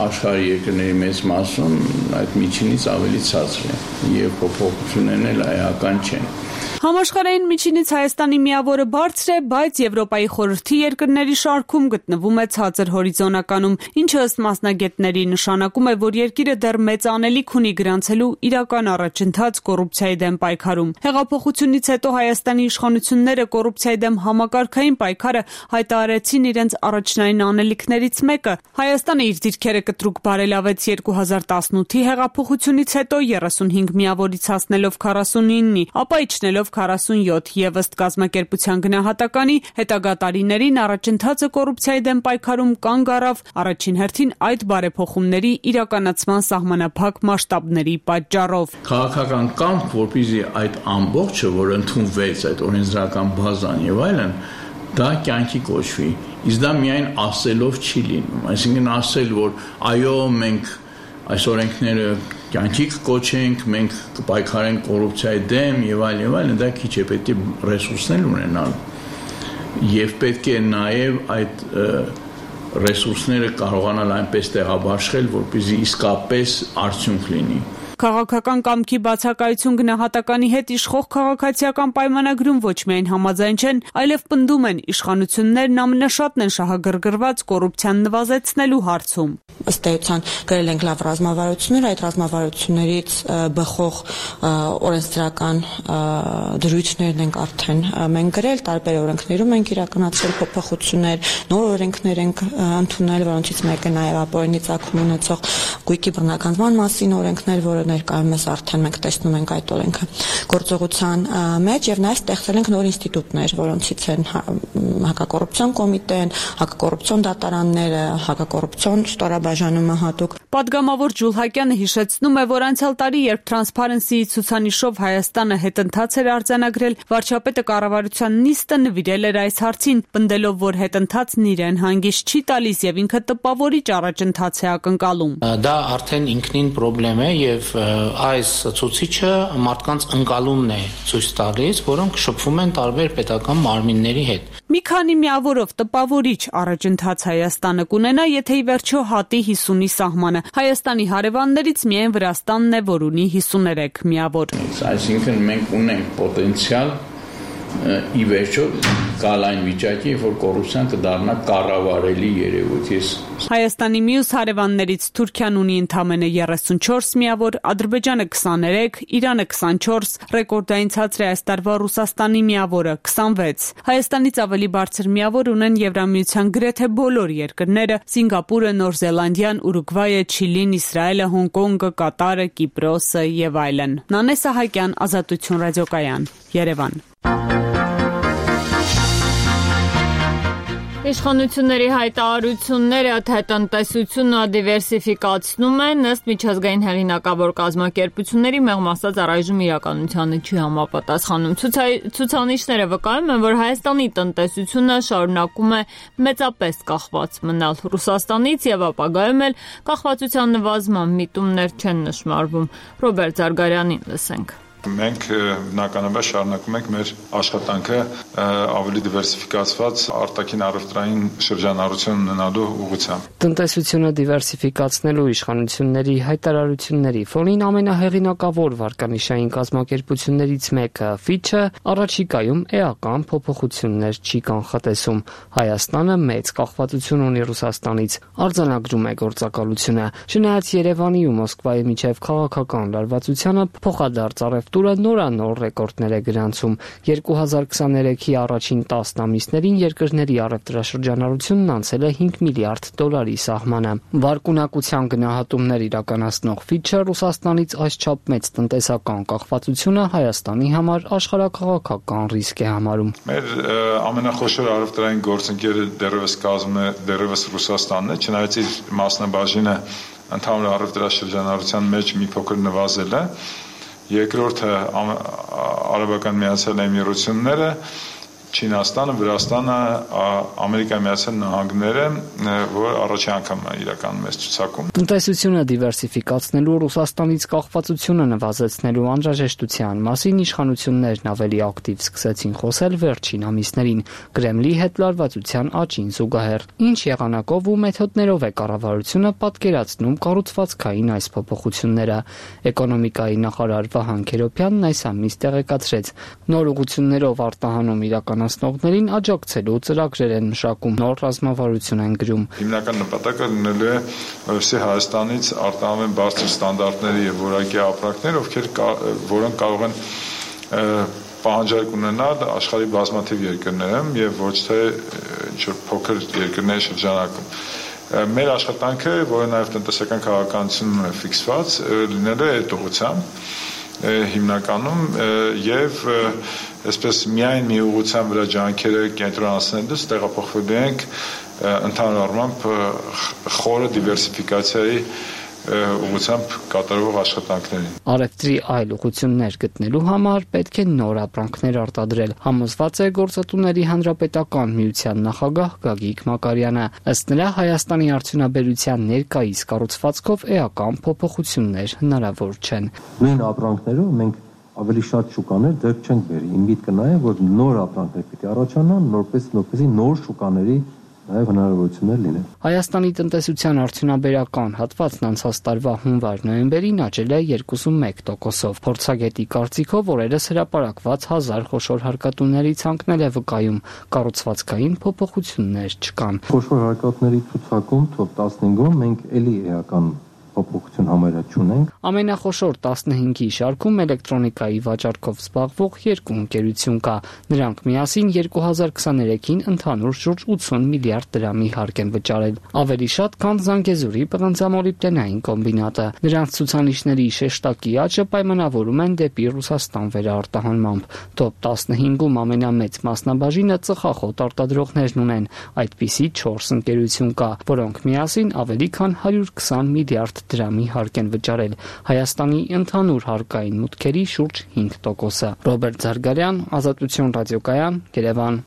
Speaker 5: աշխարհի երկրների մեծ մասում այդ միջինից ավելի ցածր է եւ փոփոխություններն էլ այական չեն։
Speaker 15: Համաշխարհային միջինից Հայաստանի միավորը բարձր է, բայց Եվրոպայի խորհրդի երկրների շարքում գտնվում է ցածր հորիզոնականում, ինչը ըստ մասնագետների նշանակում է, որ երկիրը դեռ մեծ անելիք ունի գրանցելու իրական առաջընթաց կոռուպցիայի դեմ պայքարում։ Հեղափոխությունից հետո Հայաստանի իշխանությունները կոռուպցիայի դեմ համակարգային պայքարը հայտարարեցին իրենց առաջնային անելիքներից մեկը, ժամանակը։ Հայաստանը իր դիրքերը կտրուկ բարելավեց 2018-ի հեղափոխությունից հետո 35 միավորից հասնելով 49-ի, ապա իջնելով 47 եւ ըստ կազմակերպության գնահատականի հետագա տարիներին առաջընթացը կոռուպցիայի դեմ պայքարում կանգ առավ առաջին հերթին այդ բարեփոխումների իրականացման սահմանափակ մասշտաբների պատճառով։
Speaker 16: Քաղաքական կամք, որպեսզի այդ ամբողջը, որ ընդունվեց այդ օրենսդրական բազան եւ այլն, դա կյանքի կոչվի։ Իսկ դա միայն ասելով չի լինում, այսինքն ասել, որ այո, մենք այս օրենքները կյանքի կոչենք, մենք կպայքարենք կոռուպցիայի դեմ եւ այլն, դա քիչ է, պետք է ռեսուրսներ ունենալ։ Եվ պետք է նաեւ այդ ռեսուրսները կարողանալ այնպես տեղաբաշխել, որպեսզի իսկապես արդյունք լինի։
Speaker 15: Քաղաքական կամքի բացակայություն գնահատականի հետ իշխող քաղաքացիական պայմանագրում ոչ միայն համաձայն չեն, այլև պնդում են իշխանություններն ամենաշատն են շահագրգռված կոռուպցիան նվազեցնելու հարցում։
Speaker 8: Ըստ էության գրել ենք լավ ռազմավարություններ, այդ ռազմավարություններից բխող օրենսդրական դրույթներն ենք արդեն մենք գրել, տարբեր օրենքներում ենք իրականացրել փոփոխություններ, նոր օրենքներ ենք ընդունել, որոնցից մեկը նաև ապօրինի ծագում ունեցող գույքի բռնականման մասին օրենքներ, որը ներկայումս արդեն մենք տեսնում ենք այդ օրենքը գործողության մեջ եւ նաեւ ստեղծել ենք նոր ինստիտուտներ, որոնցից են հակակոռուպցիոն կոմիտեն, հակակոռուպցիոն դատարանները, հակակոռուպցիոն ստորաբաժանումը հատուկ։
Speaker 15: Պատգամավոր Ջուլհակյանը հիշեցնում է, որ անցյալ տարի, երբ Transparency-ի ցուցանիշով Հայաստանը հետընթաց էր արձանագրել, վարչապետը կառավարության նիստը նվիրել էր այս հարցին, պնդելով, որ հետընթացն իրեն հանգիստ չի տալիս եւ ինքը տպավորիչ առաջընթաց է ակնկալում։
Speaker 17: Դա արդեն ինքնին խնդրեմ է եւ այս ցուցիչը մարդկանց ընկալումն է ցույց տալիս, որոնք շփվում են տարբեր պետական մարմինների հետ։
Speaker 15: Մի քանի միավորով տպավորիչ առաջընթաց Հայաստանը կունենա, եթե ի վերջո հատի 50-ի սահմանը։ Հայաստանի հարևաններից միայն Վրաստանն է, որ ունի 53 միավոր։
Speaker 16: Այսինքն մենք ունենք պոտենցիալ ի վերջո գալ այն վիճակի, որ կոռուպցիան կդառնա կառավարելի երևույթ։
Speaker 15: Հայաստանի մյուս հարևաններից Թուրքիան ունի ընդամենը 34 միավոր, Ադրբեջանը 23, Իրանը 24, ռեկորդային ցածր է այս տարվա Ռուսաստանի միավորը 26։ Հայաստանից ավելի բարձր միավոր ունեն Եվրամիության գրեթե բոլոր երկրները՝ Սինգապուրը, Նոր Զելանդիան, Ուրուգվայը, Չիլին, Իսրայելը, Հոնկոնգը, Կատարը, Կիպրոսը եւ այլն։ Նանե Սահակյան, Ազատություն ռադիոկայան, Երևան։
Speaker 1: Իշխանությունների հայտարարությունները թե տնտեսությունը դիվերսիֆիկացնում են, ըստ միջազգային հեղինակավոր կազմակերպությունների մեղմ ասած առայժմ իրականությանը չի համապատասխանում։ Ցուցանիշները վկայում են, որ Հայաստանի տնտեսությունը շարունակում է մեծապես կախված մնալ Ռուսաստանից եւ ապագայում էլ կախվածության նվազման միտումներ չեն նշմարվում։ Ռոբերտ Զարգարյանին լսենք։
Speaker 18: Մենք բնականաբար շարունակում ենք մեր աշխատանքը ավելի դիվերսիֆիկացված արտաքին առևտրային շրջանառություն ունենալու ուղղությամբ։
Speaker 11: Տնտեսությունը դիվերսիֆիկացնելու իշխանությունների հայտարարությունների ֆոնին ամենահեղինակավոր վարկանիշային կազմակերպություններից մեկը Fitch-ը առաջիկայում էական փոփոխություններ չի կանխատեսում։ Հայաստանը մեծ կախվածություն ունի Ռուսաստանից, արձանագրում է գործակալությունը։ Չնայած Երևանի ու Մոսկվայի միջև քաղաքական լարվածությանը փոխադարձ տուրը նորանոր ռեկորդներ է գրանցում։ 2023-ի առաջին 10 ամիսներին երկրների առևտրաշրջանառությունն անցել է $5 միլիարդ սահմանը։ Վարկունակության գնահատումներ իրականացնող Fitch-ը Ռուսաստանից այսչափ մեծ տնտեսական կախվածությունը Հայաստանի համար աշխարհաքաղաքական ռիսկ է համարում։
Speaker 18: Մեր ամենախոշոր առևտրային գործընկերը դեռևս Ռուսաստանն է, չնայած իր մասնաբաժինը ընդհանուր առևտրաշրջանառության մեջ մի փոքր նվազել է։ Երկրորդը Արաբական Միացյալ Էմիրությունները, Չինաստանը, Վրաստանը, Ամերիկայի Միացյալ Նահանգները, որ առաջին անգամ իրականում է ցուցակում։
Speaker 11: Տնտեսությունը դիվերսիֆիկացնելու Ռուսաստանից կախվածությունը նվազեցնելու անհրաժեշտության մասին իշխանություններն ավելի ակտիվ սկսեցին խոսել վերջին ամիսներին Կրեմլի հետ լարվածության աճին զուգահեռ։ Ինչ եղանակով ու մեթոդներով է կառավարությունը պատկերացնում կառուցվածքային այս փոփոխությունները։ Էկոնոմիկայի նախարար Վահան Քերոբյանն այս ամիս տեղեկացրեց, նոր ուղղություններով արտահանում իրականացնողներին աջակցելու ծրագրեր են մշակում, նոր ռազմավարություն են գրում։
Speaker 18: Հիմնական նպատակը լինելու է, որովհետեւ Հայաստանից արտահանեն բարձր ստանդարտների եւ որակի ապրանքներ, որոնք կարող են պահանջարկ ունենալ աշխարհի բազմաթիվ երկրներում եւ ոչ թե ինչ-որ փոքր երկրների շրջանակում։ Մեր աշխատանքը, որը նաև տնտեսական քաղաքականությունում է ֆիքսված, լինելու է այդ ուղղությամբ հիմնականում եւ այսպես միայն մի ուղղության վրա ջանքերը կենտրոնացնելուց տեղափոխվելու ենք ընդհանուր առմամբ խորը դիվերսիֆիկացիայի ուղղությամբ կատարվող աշխատանքներին։
Speaker 11: Արևտրի այլ ուղղություններ գտնելու համար պետք է նոր ապրանքներ արտադրել, համոզված է Գործատուների հանրապետական միության նախագահ Գագիկ Մակարյանը։ Ըստ նրա Հայաստանի արդյունաբերության ներկայիս կառուցվածքով էական փոփոխություններ հնարավոր չեն։
Speaker 19: Նույն ապրանքներով մենք ավելի շատ շուկաներ ձեռք չենք բերի։ Իմ միտքը նա է, որ նոր ապրանքներ պիտի առաջանան, որպեսզի նոր շուկաների նաև հնարավորություններ լինեն։
Speaker 11: Հայաստանի տնտեսության արդյունաբերական հատվածն անցած տարվա հունվար-նոյեմբերին աճել է 2.1%-ով։ Փորձագետի կարծիքով օրերս հրապարակված 1000 խոշոր հարկատուների ցանկն է վկայում, կառուցվածքային փոփոխություններ չկան։
Speaker 19: Խոշոր հարկատուների ցուցակում top 15-ում մենք էլի էական փոփոխություն համարյա չունենք։
Speaker 11: Ամենախոշոր 15-ի շարքում էլեկտրոնիկայի վաճառքով զբաղվող երկու ընկերություն կա։ Նրանք միասին 2023-ին ընդհանուր շուրջ 80 միլիարդ դրամի հարկ են վճարել։ Ավելի շատ, քան Զանգեզուրի պղնձամոլիբդենային կոմբինատը։ Նրանց ցուցանիշների շեշտակի աճը պայմանավորում են դեպի Ռուսաստան վերարտահանմամբ։ Top 15-ում ամենամեծ մասնաբաժինը ծխախոտ արտադրողներն ունեն։ Այդպիսի 4 ընկերություն կա, որոնք միասին ավելի քան 120 միլիարդ դրամի հարկ են վճարել։ Հայաստանի ընդհանուր հարկային մուտքերի շուրջ 5%-ը։ Ռոբերտ Զարգարյան, Ազատություն ռադիոկայան, Երևան։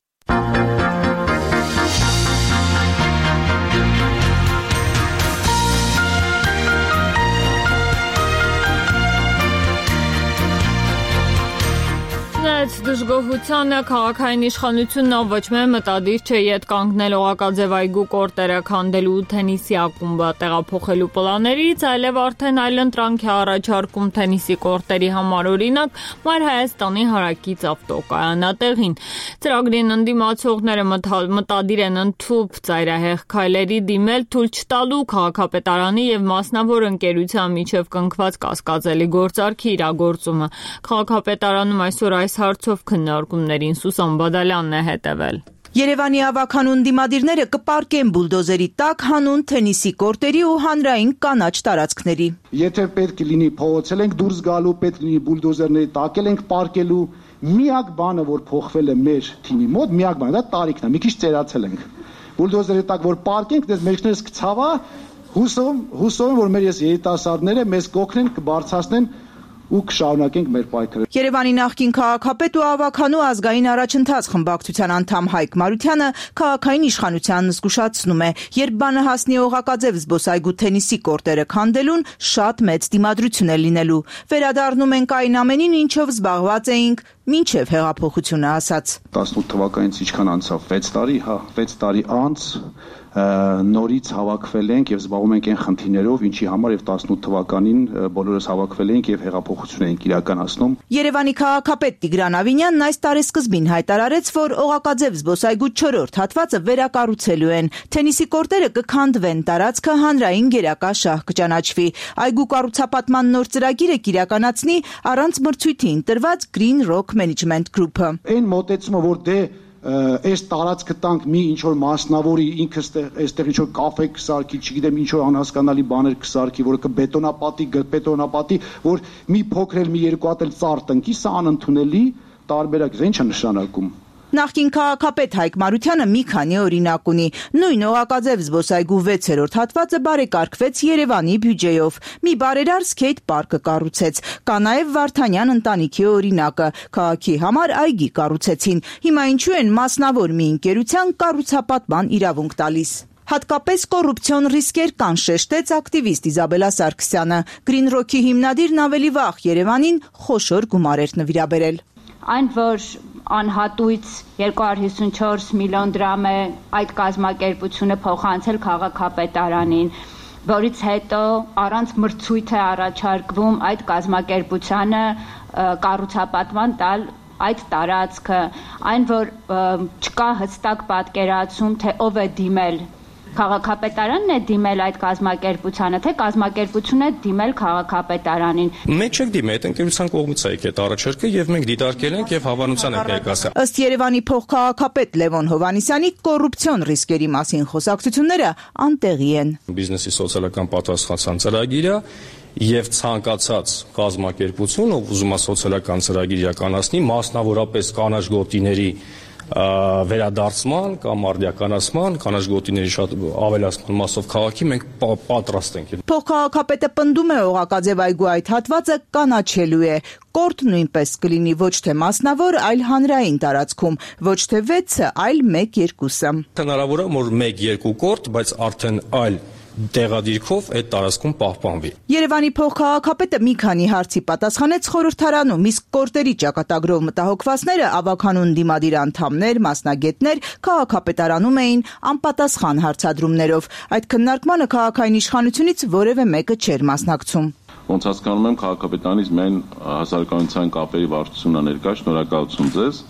Speaker 1: Դժգոհությանը քաղաքային իշխանությունն ոչ միայն մտադիր չէ յետ կանգնել Օղակաձև այգու կորտերը քանդելու թենիսի ակումբը տեղափոխելու պլաններից, այլև արդեն այլընտրանք է առաջարկում թենիսի կորտերի համար, օրինակ Մայր Հայաստանի հարակից ավտոկայանատեղին։ Ծրագրին ընդդիմացողները մտադիր են ընդཐུպ ծայրահեղ քայլերի դիմել թույլ չտալու քաղաքապետարանի եւ մասնավոր ընկերության միջև կնքված կասկածելի գործարքի իրագործումը։ Քաղաքապետարանում այսօր այս հարցով քննարկումներին Սուսան Բադալյանն է հետևել։
Speaker 20: Երևանի ավականուն դիմադիրները կպարկեն բուլդոզերի տակ հանուն թենիսի կորտերի ու հանրային կանաչ տարածքների։
Speaker 21: Եթե պետք լինի փողոցել ենք դուրս գալու, պետք լինի բուլդոզերների տակ ենք պարկելու, միակ բանը, որ փոխվել է մեր թիմի մոտ, միակ բանը դա տարիքն է, մի քիչ ծերացել ենք։ Բուլդոզերի տակ որ պարկենք, դες մեջներս կցավա, հուսով որ մեր երիտասարդները մեզ կօգնեն, կբարձրացնեն ու կշարունակենք մեր պայքարը։
Speaker 20: Երևանի նախկին քաղաքապետ ու ավականու ազգային առաջընթաց խմբակցության անդամ Հայկ Մարությանը քաղաքային իշխանությանն զգուշացնում է, երբ բանը հասնի Օղակաձև զբոսայգու թենիսի կորտերը քանդելուն, շատ մեծ դիմադրություն է լինելու։ Վերադառնում ենք այն ամենին, ինչով զբաղված էինք մինչև հեղափոխությունը ասաց։
Speaker 21: 18 թվականից ինչքան անցավ 6 տարի, 6 տարի անց նորից հավաքվել ենք եւ զբաղվում ենք այն խնդիրներով, ինչի համար եւ 18 թվականին բոլորս հավաքվել ենք եւ հեղափոխություն ենք իրականացնում։
Speaker 20: Երևանի քաղաքապետ Տիգրան Ավինյանն այս տարեսկզբին հայտարարեց, որ Օղակաձև զբոսայգու 4-րդ հատվածը վերակառուցելու են։ Թենիսի կորտերը կքանդվեն, տարածքը հանրային գերակա շահ կճանաչվի։ Այգու կառուցապատման նոր ծրագիրը կիրականացնի առանց մրցույթի ընտրված Green Rock Management Group-ը։
Speaker 21: Այն մոտեցումը, որ այս տարածքը տանք մի ինչ որ մասնավորի ինքը այստեղ ինչ որ կաֆե կսարքի, չգիտեմ ինչ որ անհասկանալի բաներ կսարքի, որը կբետոնապատի, որ մի փոքր էլ մի երկու հատ էլ ծառ տնկի, սա անընդունելի տարբերակ է, ինչ է նշանակում։
Speaker 20: Նախկին քաղաքապետ Հայկ Մարությանը մի քանի օրինակ ունի։ Նույն Օղակաձև զբոսայգու 6-րդ հատվածը բարեկարգվեց Երևանի բյուջեով։ Մի բարերար սկեյթ պարկը կառուցեց։ Կա նաև Վարդանյան ընտանիքի օրինակը։ Քաղաքի համար այգի կառուցեցին։ Հիմա ինչու են մասնավոր մի ընկերության կառուցապատման իրավունք տալիս։ Հատկապես կոռուպցիոն ռիսկեր կան, շեշտեց ակտիվիստ Իզաբելա Սարգսյանը։ Green Rock-ի հիմնադիրն ավելի վաղ Երևանին խոշոր գումար էր նվիրաբերել։
Speaker 22: Այն, որ անհատույց 254 միլիոն դրամ է այդ կազմակերպությունը փոխանցել քաղաքապետարանին, որից հետո առանց մրցույթ է առաջարկվում այդ կազմակերպությանը կառուցապատման տալ այդ տարածքը, այն որ չկա հստակ պատկերացում, թե ով է դիմել Քաղաքապետարանն է դիմել այդ կազմակերպությանը, թե կազմակերպությունը դիմել քաղաքապետարանին։
Speaker 2: Մենք չենք դիմել, այդ ընկերության կողմից է եկել առաջարկը եւ մենք դիտարկել ենք եւ հավանության ենք ներկայացրել։
Speaker 20: Ըստ Երևանի փոխքաղաքապետ Լևոն Հովհաննիսյանի, կոռուպցիոն ռիսկերի մասին խոսակցությունները անտեղի են։
Speaker 2: Բիզնեսի սոցիալական պատասխանատվության ծրագիրը եւ ցանկացած կազմակերպություն, ով ուզում է սոցիալական ծրագիր իրականացնի, մասնավորապես կանաչ գոտիների վերադարձման կամ արդիականացման, կանաչ գոտիների շատ ավելացման մասով քաղաքի մենք պատրաստ ենք։
Speaker 20: Փոխքաղաքապետը պնդում է օղակաձև այգու այդ հատվածը կանաչելու է։ Կորտ նույնպես կլինի ոչ թե մասնավոր, այլ հանրային տարածքում, ոչ թե 6-ը, այլ 1-2-ը։
Speaker 2: Հնարավոր է որ 1-2 կորտ, բայց արդեն այլ տեղադիրքով այդ տարածքում պահպանվի։
Speaker 20: Երևանի փոխքաղաքապետը մի քանի հարցի պատասխանեց խորհրդարանում, իսկ կորտերի ճակատագրով մտահոգվածները ավականուն դիմադիր անդամներ, մասնագետներ քաղաքապետարանում էին անպատասխան հարցադրումներով։ Այդ քննարկմանը քաղաքային իշխանությունից որևէ մեկը չէր մասնակցում։
Speaker 4: Ոնց հասկանում եմ, քաղաքապետարանից միայն հասարակայնության կապերի վարչությունն է ներկա, շնորհակալություն ձեզ։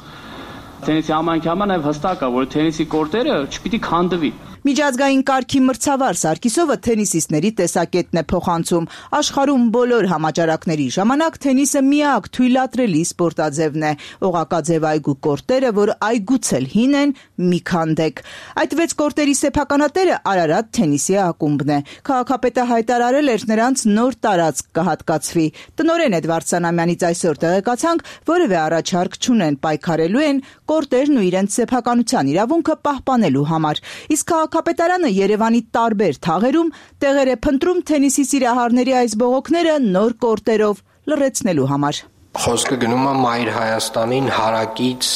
Speaker 23: Թենիսի համայնքի նաև հստակ է, որ թենիսի կորտերը չպիտի քանդվի։
Speaker 20: Միջազգային կարգի մրցավար Սարգիսովը թենիսիստների տեսակետն է փոխանցում։ Աշխարհում բոլոր համաճարակների ժամանակ թենիսը միակ թույլատրելի սպորտաձևն է։ Օղակաձև այգու կորտերը, որ այգուց էլ հին են, մի քանդեք։ Այդ 6 կորտերի սեփականատերը Արարատ թենիսի ակումբն է։ Քաղաքապետը հայտարարել էր նրանց նոր տարածք կհատկացվի։ Տնօրեն Էդվարդ Սանամյանից այսօր տեղեկացանք, որևէ առաջարկ չունեն, պայքարելու են կորտերն ու իրենց սեփականության իրավունքը պահպանելու համար։ Իսկ քաղաքապետարանը Երևանի տարբեր թաղերում տեղեր է փնտրում թենիսի սիրահարների այս բողոքները նոր կորտերով լրացնելու համար։
Speaker 24: Խոսքը գնում է Մայր Հայաստանին հարակից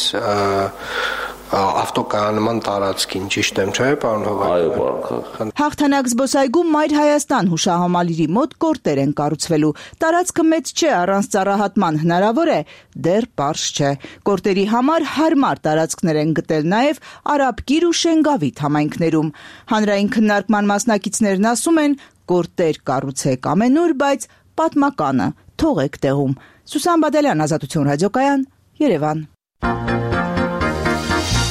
Speaker 24: ավտոկայանման տարածքին, ճիշտ եմ, չէ՞, պարոն Հովհաննիսյան։
Speaker 20: Հաղթանակ զբոսայգում Մայր Հայաստան հուշահամալիրի մոտ կորտեր են կառուցվելու։ Տարածքը մեծ չէ, առանց ծառահատման հնարավոր է, դեռ պարզ չէ։ Կորտերի համար հարմար տարածքներ են գտել նաև Արաբկիր ու Շենգավիթ համայնքներում։ Հանրային քննարկման մասնակիցներն ասում են, կորտեր կառուցեք ամենուր, բայց պատմականը թողեք տեղում։ Սուսան Բադալյան, Ազատություն ռադիոկայան, Երևան։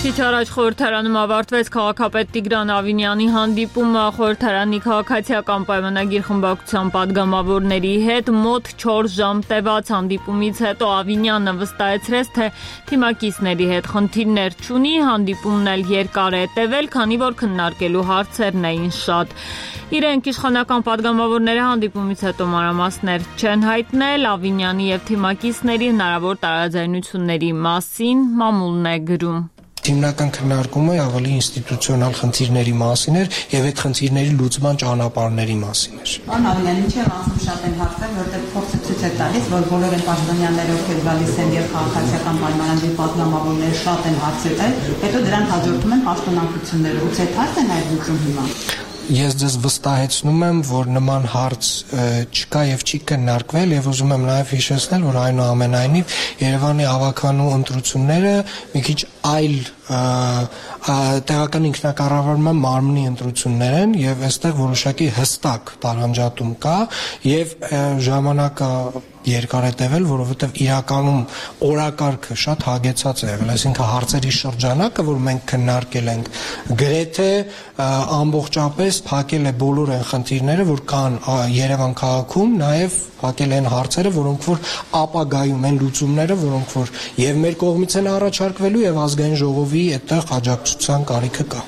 Speaker 1: Քիչ առաջ խորհրդարանում ավարտվեց քաղաքապետ Տիգրան Ավինյանի հանդիպումը խորհրդարանի քաղաքացիական պայմանագիր խմբակցության падգամավորների հետ մոտ 4 ժամ տևած հանդիպումից հետո Ավինյանը վստահեցրեց, թե թիմակիցների հետ խնդիրներ չունի, հանդիպումն էլ երկար է տևել, քանի որ քննարկելու հարցերն էին շատ։ Իրենք իշխանական падգամավորները հանդիպումից հետո մանրամասներ չեն հայտնել Ավինյանի եւ թիմակիցների հնարավոր տարաձայնությունների մասին, մամուլն է գրում։
Speaker 25: Հիմնական քննարկումը ավելի ինստիտուցիոնալ խնդիրների մասին էր եւ այդ խնդիրների լուծման ճանապարհների մասին էր։
Speaker 26: Պարոն Ավինյան, ինչի է մասում շատ են հարցեր, որտեղ փորձը ցույց է տալիս, որ բոլոր այն պաշտոնյաները, ովքեր գալիս են եւ քաղաքացիական պայմանագրի падգամավորները շատ են հարցրել, հետո դրան հաջորդում են պաշտոնակությունները։ Ուցե հարց է նաեւ լուծում հիմա։
Speaker 25: Ես ձեզ վստահեցնում եմ, որ նման հարց չկա եւ չի քննարկվել եւ ուզում եմ նաեւ հիշեցնել, որ այնուամենայնիվ Երևանի ավականու ընտրությունները մի քիչ այլ տեղական ինքնակառավարման մարմնի ընտրություններ են եւ այստեղ որոշակի հստակ տարանջատում կա եւ ժամանակը երկար է տևել, որովհետեւ իրականում օրակարգը շատ հագեցած է եղել, այսինքն հարցերի շրջանակը, որ մենք քննարկել ենք, գրեթե ամբողջապես փակել է բոլոր այն խնդիրները, որ կան Երևան քաղաքում, նաեւ փակել են հարցերը, որոնք որ ապագայում են լուծումները, որոնք որ եւ մեր կողմից են առաջարկվելու եւ ազգային ժողովի այդտեղ աջակցության կարիքը կա։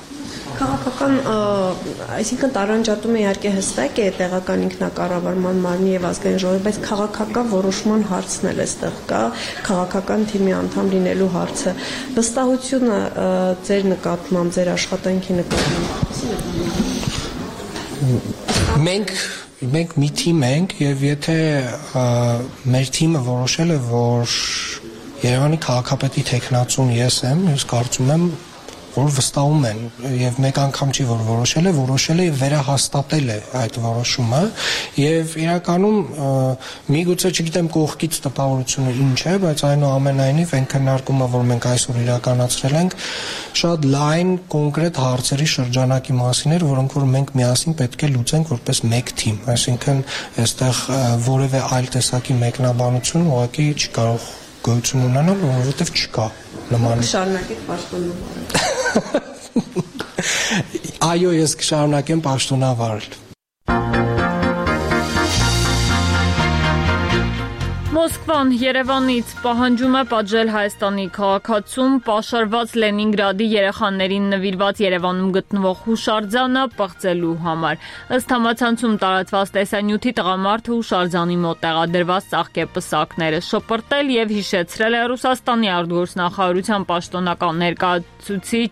Speaker 14: Քաղաքական, այսինքն տարանջատումը իհարկե հստակ է տեղական ինքնակառավարման մարմնի եւ ազգային ժողովի, բայց քաղաքական որոշման հարցն էլ էստեղ կա, քաղաքական թիմի անդամ լինելու հարցը։ Վստահությունը ձեր նկատմամբ, ձեր աշխատանքի
Speaker 25: նկատմամբ։ Մենք մի թիմ ենք եւ եթե մեր թիմը որոշել է, որ Երևանի քաղաքապետի տեխնացուն ես եմ, ես կարծում եմ, որ վստահում են եւ մեկ անգամ չի որ որոշել է եւ վերահաստատել է այդ որոշումը եւ իրականում միգուցե չգիտեմ կողքից տպավորությունը ինչ է, բայց այնուամենայնիվ այն քննարկումը, որ մենք այսօր իրականացրել ենք, շատ լայն կոնկրետ հարցերի շրջանակի մասին էր, որոնք որ մենք միասին պետք է լուծենք որպես մեկ թիմ, այսինքն այստեղ որևէ այլ տեսակի մեկնաբանություն ուղղակի չի կարող գոյություն ունենալ, որովհետեւ չկա նման։
Speaker 14: Շարունակեք պաշտոնը։
Speaker 25: Այո, ես կշարունակեմ պաշտոնավարել։
Speaker 1: Մոսկվան Երևանից պահանջում է պատժել Հայաստանի քաղաքացում պաշարված Լենինգրադի երեխաներին նվիրված Երևանում գտնվող հուշարձանը պղծելու համար։ Ըստ համացանցում տարածված տեսանյութի տղամարդը հուշարձանի մոտ տեղադրված ծաղկեպսակները շպրտել եւ հիշեցրել է Ռուսաստանի արտգործնախարարության պաշտոնական ներկայացուցիչ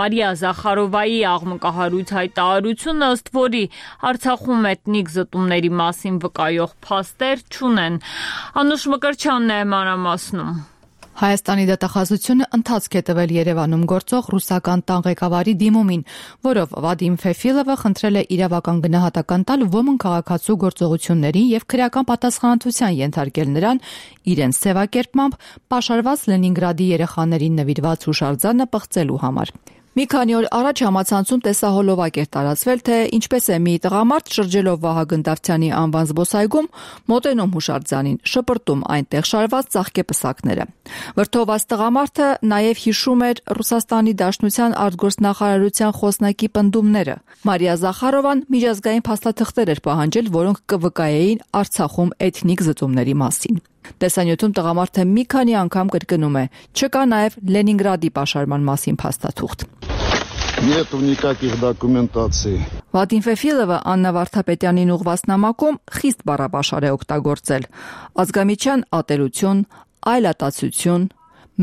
Speaker 1: Մարիա Զախարովայի աղմկահարույց հայտարարությունը, ըստ որի Արցախում էթնիկ զտումների մասին վկայող փաստեր չունեն։ Անուշ Մկրտչյանն է մանրամասնում։
Speaker 3: Հայաստանի դատախազությունը ընթացք է տվել Երևանում գործող ռուսական տան ղեկավարի դիմումին, որով Վադիմ Ֆեֆիլովը խնդրել է իրավական գնահատական տալ ոմն քաղաքացու գործողություններին եւ քրեական պատասխանատվության ենթարկել նրան իրենց սևակերպմամբ պաշարված Լենինգրադի երեխաներին նվիրված հուշարձանը պղծելու համար։ Մի քանի օր առաջ համացանցում տեսահոլովակ էր տարածվել, թե ինչպես է մի տղամարդ շրջելով Վահագն Դավթյանի անվան զբոսայգում մոտենում հուշարձանին, շպրտում այնտեղ շարված ծաղկեպսակները։ Վրդովված տղամարդը նաև հիշում էր Ռուսաստանի Դաշնության արտգործնախարարության խոսնակի պնդումները։ Մարիա Զախարովան միջազգային փաստաթղթեր էր պահանջել, որոնք կվկայեին Արցախում էթնիկ զտումների մասին։ Տեսանյութում տղամարդը մի քանի անգամ կրկնում է. չկա նաև Լենինգրադի պաշարման մասին փաստաթուղթ։
Speaker 6: Нету никаких документаций.
Speaker 3: Վադիմ Ֆեֆիլովը Աննա Վարդապետյանին ուղղված նամակում խիստ բառապաշար է օգտագործել։ Ազգամիչյան ատելություն, այլատացություն,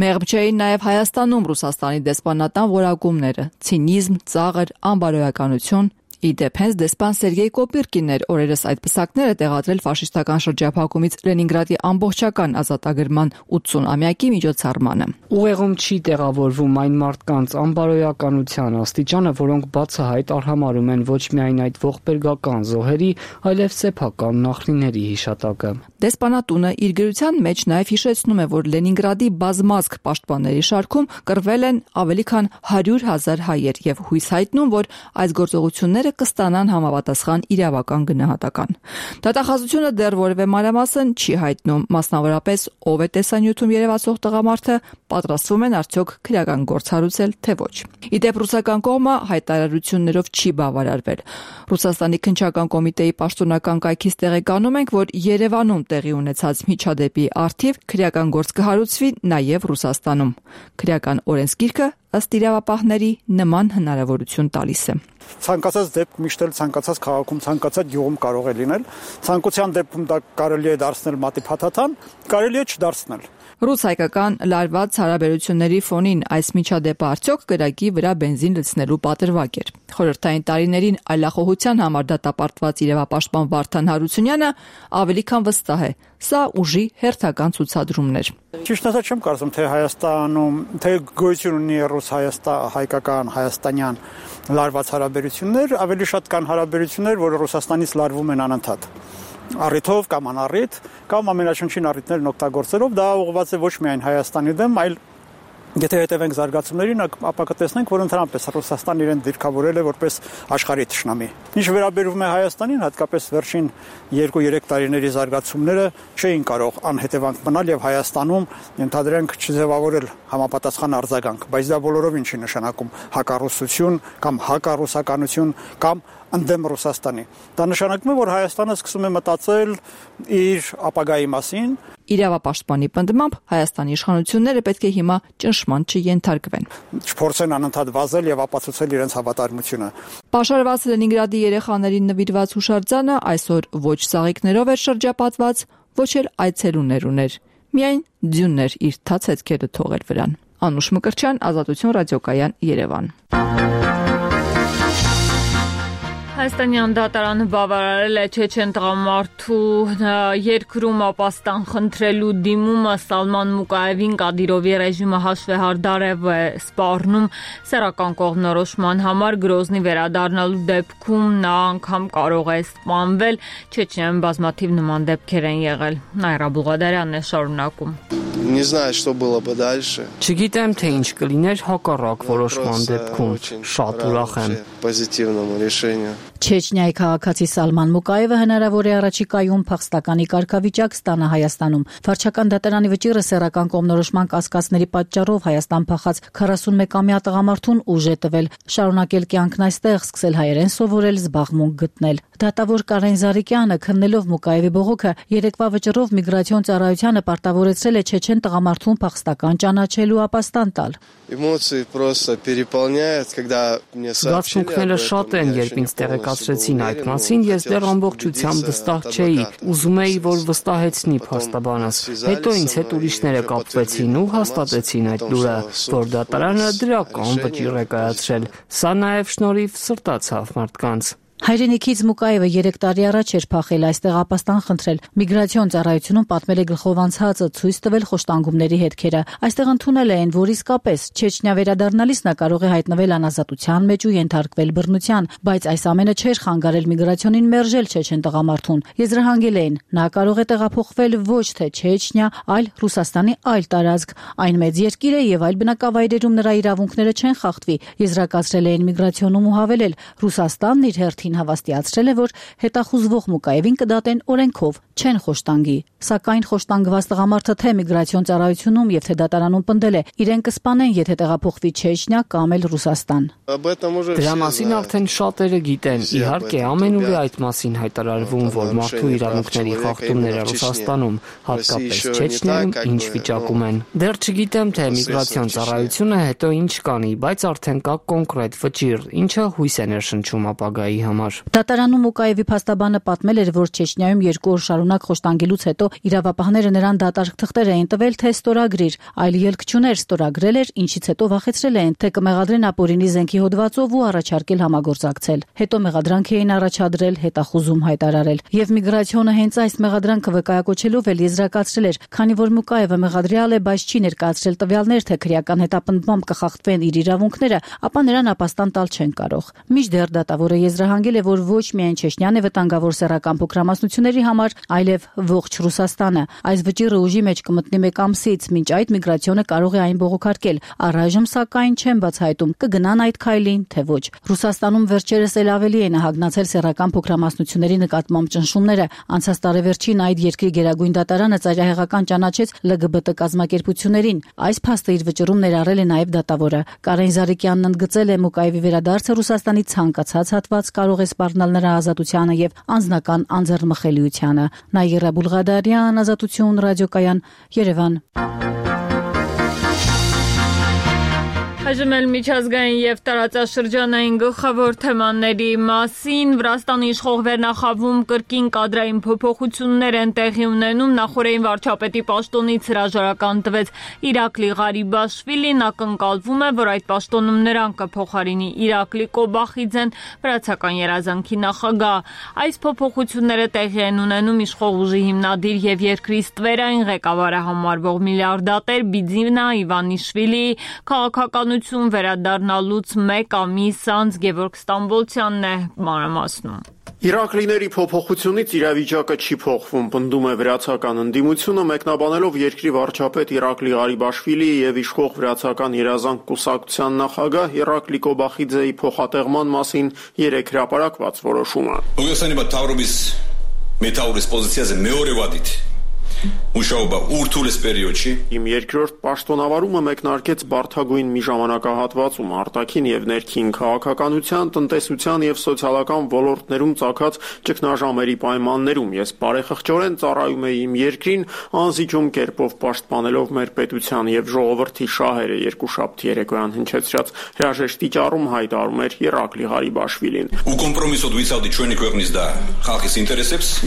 Speaker 3: մեղմ չէին նաև Հայաստանում Ռուսաստանի դեսպանատան որակումները, ցինիզմ, ծաղր, անբարոյականություն։ Իդեպ հենց դեսպան Սերգեյ Կոպիրկինն էր օրերս այդ պսակները տեղադրել ֆաշիստական շրջափակումից Լենինգրադի ամբողջական ազատագրման 80-ամյակի միջոցառմանը։
Speaker 11: Ուղեղում չի տեղավորվում այն մարդկանց անբարոյականության աստիճանը, որոնք բացահայտ արհամարհում են ոչ միայն այդ ողբերգական զոհերի, այլև սեփական նախնիների հիշատակը։
Speaker 3: Դեսպանատունը իր գրության մեջ նաև հիշեցնում է, որ Լենինգրադի բազմազգ պաշտպանների շարքում կռվել են ավելի քան 100,000 հայեր եւ հույս հայտնում, որ այս գործողությունները կստանան համապատասխան իրավական գնահատական։ Դատախազությունը դեռ որևէ մանրամասն չի հայտնում, մասնավորապես ով է տեսանյութում երևացող տղամարդը, պատրաստվում են արդյոք քրեական գործ հարուցել, թե ոչ։ Իդեպ ռուսական կողմը հայտարարություններով չի բավարարվել։ Ռուսաստանի քննչական կոմիտեի պաշտոնական կայքից տեղեկանում ենք, որ Երևանում տեղի ունեցած միջադեպի առթիվ քրեական գործ կհարուցվի նաև Ռուսաստանում։ Քրեական օրենսգիրքը ըստ իրավապահների նման հնարավորություն տալիս է։
Speaker 21: Ցանկացած դեպք միշտ էլ ցանկացած քաղաքում, ցանկացած գյուղում կարող է լինել։ Ցանկության դեպքում դա կարելի է դարձնել մատի փաթաթան, կարելի է չդարձնել։
Speaker 3: Ռուս-հայկական լարված հարաբերությունների ֆոնին այս միջադեպը արդյոք կրակի վրա բենզին լցնելու պատրվակ էր։ Խորհրդային տարիներին այլախոհության համար դատապարտված իրավապաշտպան Վարդան Հարությունյանը ավելի քան վստահ է, սա ուժի հերթական ցուցադրումներ։
Speaker 21: Ճիշտ ասած չեմ կարծում, թե Հայաստանում թե գոյություն ունի ռուս-հայկական, հայաստանյան լարված հարաբերություններ, ավելի շատ կան հարաբերություններ, որ Ռուսաստանից լարվում են անընդհատ։ Առիթով կամ անառիթ կամ ամենաշնչին առիթներն օգտագործելով դա ուղղված է ոչ միայն Հայաստանի դեմ, այլ եթե հետևենք զարգացումներին, ապա կտեսնենք, որ ընդհանրապես Ռուսաստանն իրեն դիրքավորել է որպես աշխարհի թշնամի։ Ինչ վերաբերում է Հայաստանին, հատկապես վերջին 2-3 տարիների զարգացումները չէին կարող անհետևանք մնալ եւ Հայաստանում ընդհանրենք չձևավորել համապատասխան արձագանք, բայց դա բոլորովին չի նշանակում հակառուսություն կամ հակառուսականություն կամ ընդդեմ Ռուսաստանի։ Դա նշանակում է, որ Հայաստանը սկսում է մտածել իր ապագայի մասին։
Speaker 3: Իրավապաշտպանի պնդմամբ Հայաստանի իշխանությունները պետք է հիմա ճնշման չենթարկվեն։
Speaker 21: Չփորձեն անընդհատ վազել եւ ապացուցել իրենց հավատարմությունը։
Speaker 3: Պաշարված Լենինգրադի երեխաներին նվիրված հուշարձանը այսօր ոչ ծաղիկներով էր շրջապատված, ոչ էլ այցելուներ ուներ։ Միայն ձյուններ իր թաց հետքերը թողել վրան։ Անուշ Մկրտչյան, Ազատություն ռադիոկայան, Երևան։
Speaker 1: Հայաստանյան դատարանը բավարարել է չեչեն տղամարդու երկրում ապաստան խնդրելու դիմումը Սալման Մուկաևին Կադիրովի ռեժիմը հաշվեհարդարև է սպառնում սեռական կողմնորոշման համար Գրոզնի վերադառնալու դեպքում նա անգամ կարող է սպանվել չեչեն բազմաթիվ նման դեպքեր են եղել Նայրա Բուղադարյանն է շարունակում
Speaker 24: Не знаю, что было бы дальше.
Speaker 11: Չգիտեմ, թե ինչ կլիներ հակառակ որոշման դեպքում։ Շատ ուրախ եմ։
Speaker 24: Позитивному решению.
Speaker 5: Չեչնիայի քաղաքացի Սալման Մուկայևը հնարավոր է առաջիկայում փախստականի կարգավիճակ ստանա Հայաստանում։ Վարչական դատարանի վճիռը սեռական կողմնորոշման կասկածների պատճառով Հայաստան փախած 41-ամյա տղամարդուն ուժ է տվել շարունակել կյանքն այստեղ, սկսել հայերեն սովորել, զբաղմունք գտնել։ Դատավոր Կարեն Զարիկյանը քննելով Մուկայևի բողոքը երեկվա վճռով միգրացիոն ծառայությանը պարտավորեցրել է չեչեն տղամարդուն փախստական ճանաչելու ապաստան տալ։
Speaker 24: Эмоции просто переполняют, когда мне сообщили.
Speaker 11: Զգացմունքները շատ են, երբ ինձ տեղեկացրեցին այդ մասին, ես դեռ ամբողջությամբ վստահ չէի, ուզում էի, որ վստահեցնի փաստաբանս։ Հետո ինձ հետ ուրիշները կապվեցին ու հաստատեցին այդ լուրը, որ դատարանը դրական վճիռ է կայացրել։ Սա նաև շնորհիվ սրտացավ մարդկանց։
Speaker 5: Հայրենիքից Մուկայևը 3 տարի առաջ էր փախել, այստեղ ապաստան խնդրել։ Միգրացիոն ծառայությունում պատմել է գլխով անցածը, ցույց տվել խոշտանգումների հետքերը։ Այստեղ ընդունել են, որ իսկապես Չեչնիա վերադառնալիս նա կարող է հայտնվել անազատության մեջ ու ենթարկվել բռնության, բայց այս ամենը չէր խանգարել միգրացիոնին մերժել չեչեն տղամարդուն։ Եզրահանգել էին, նա կարող է տեղափոխվել ոչ թե Չեչնիա, այլ Ռուսաստանի այլ տարածք։ Այն մեծ երկիր է եւ այլ բնակավայրերում նրա իրավունքները չեն խախտվի։ Եզրակացրել էին միգրացիոնում ու հավելել, Ռուսաստանն իր հերթին հավաստիացրել է, որ հետախուզվող Մուկայևին կդատեն օրենքով, չեն խոշտանգի։ Սակայն խոշտանգված տղամարդը թե միգրացիոն ծառայությունում եւ թե դատարանում պնդել է, իրեն կսպանեն, եթե տեղափոխվի Չեչնիա կամ էլ Ռուսաստան։
Speaker 11: Դրա մասին արդեն շատերը գիտեն։ Իհարկե, ամենուր է այդ մասին հայտարարվում, որ մարդու իրավունքների խախտումները Ռուսաստանում, հատկապես Չեչնիայում, ինչ վիճակում են։ Դեռ չգիտեմ, թե միգրացիոն ծառայությունը հետո ինչ կանի, բայց արդեն կա կոնկրետ վճիռ, ինչը հույս է ներշնչում ապագայի համար։
Speaker 5: Դատարանում Մուկայևի փաստաբանը պատմել էր, որ Չեչնիայում 2 օր շարունակ խոշտանգելուց հետո իրավապահները նրան դատարկ թղթեր էին տվել, թե ստորագրիր, այլ ելք չուներ, ստորագրել էր, ինչից հետո վախեցրել էին, թե կմեղադրեն ապօրինի զենքի հոդվածով ու առաջարկել համագործակցել։ Հետո մեղադրանք էին առաջադրել, հետախուզում հայտարարել։ Եվ միգրացիոնը հենց այս մեղադրանքը վկայակոչելով էլ եզրակացրել էր, քանի որ Մուկայևը մեղադրյալ է, բայց չի ներկայացրել տվյալներ, թե քրեական հետապնդմամբ կխախտվեն իր իրավունքները, ապա նրան ապաստան տալ չեն կարող։ Մինչդեռ դատավորը եզրահանգել է, որ ոչ միայն Չեչնիան է վտանգավոր սեռական փոքրամասնությունների համար, այլև ողջ Ռուսաստանը։ Այս վճիռը ուժի մեջ կմտնի 1 ամսից, մինչ այդ միգրացիոնը կարող է այն բողոքարկել։ Առայժմ սակայն չեն բացահայտում կգնան այդ քայլին, թե ոչ։ Ռուսաստանում վերջերս էլ ավելի են հագնացել սեռական փոքրամասնությունների նկատմամբ ճնշումները։ Անցած տարեվերջին այդ երկրի գերագույն դատարանը ծայրահեղական ճանաչեց LGBT կազմակերպություններին։ Այս փաստը իր վճռում ներառել է նաև դատավորը։ Կարեն Զարիկյանն ընդգծել է Մուկայևի վերադարձը Ռուսաստանի ցանկացած հատված կարող է սպառնալ նրա ազատությանը եւ անձնական անձեռնմխելիությանը։ Նաիրա Բուլղադարյան, Ազատություն, ռադիոկայան, Երևան։
Speaker 1: Այժմ էլ միջազգային եւ տարածաշրջանային գլխավոր թեմաների մասին Վրաստանի իշխող վերնախավում կրկին կադրային փոփոխություններ են տեղի ունենում։ Նախորդին վարչապետի պաշտոնից հրաժարական տվեց Իրակլի Ղարիբաշվիլին, ակնկալվում է, որ այդ պաշտոնում նրան կփոխարինի Իրակլի Կոբախիձեն, վրացական երազանքի նախագահ։ Այս փոփոխությունները տեղի են ունենում իշխող ուժի հիմնադիր եւ երկրի ստվերային ղեկավարը համարվող միլիարդատեր Բիձինա Իվանիշվիլիի քաղաքական վերադառնալուց 1 ամիս անց Գևորգ Ստամբոլցյանն է մանրամասնում։
Speaker 7: Իրակլիների փոփոխությունից իրավիճակը չի փոխվում, պնդում է վրացական ընդդիմությունը, մեկնաբանելով երկրի վարչապետ Իրակլի Ղարիբաշվիլիի եւ իշխող վրացական երազանք կուսակցության նախագահ Իրակլի Կոբախիձեի փոխատեղման մասին 3 հրապարակված որոշումը։ Իմ երկրորդ պաշտոնավարումը մեկնարկեց բարդագույն մի ժամանակահատվածում արտաքին եւ ներքին քաղաքականության, տնտեսության եւ սոցիալական ոլորտներում ծագած ճգնաժամերի պայմաններում ես բարեխղճորեն ծառայում էի իմ երկրին, անզիջում կերպով պաշտպանելով մեր պետության եւ ժողովրդի շահերը երկուշաբթի երեկոյան հնչեցրած հրաժեշտի ճառում հայտարարում էր Իրակլի Ղարիբաշվիլին։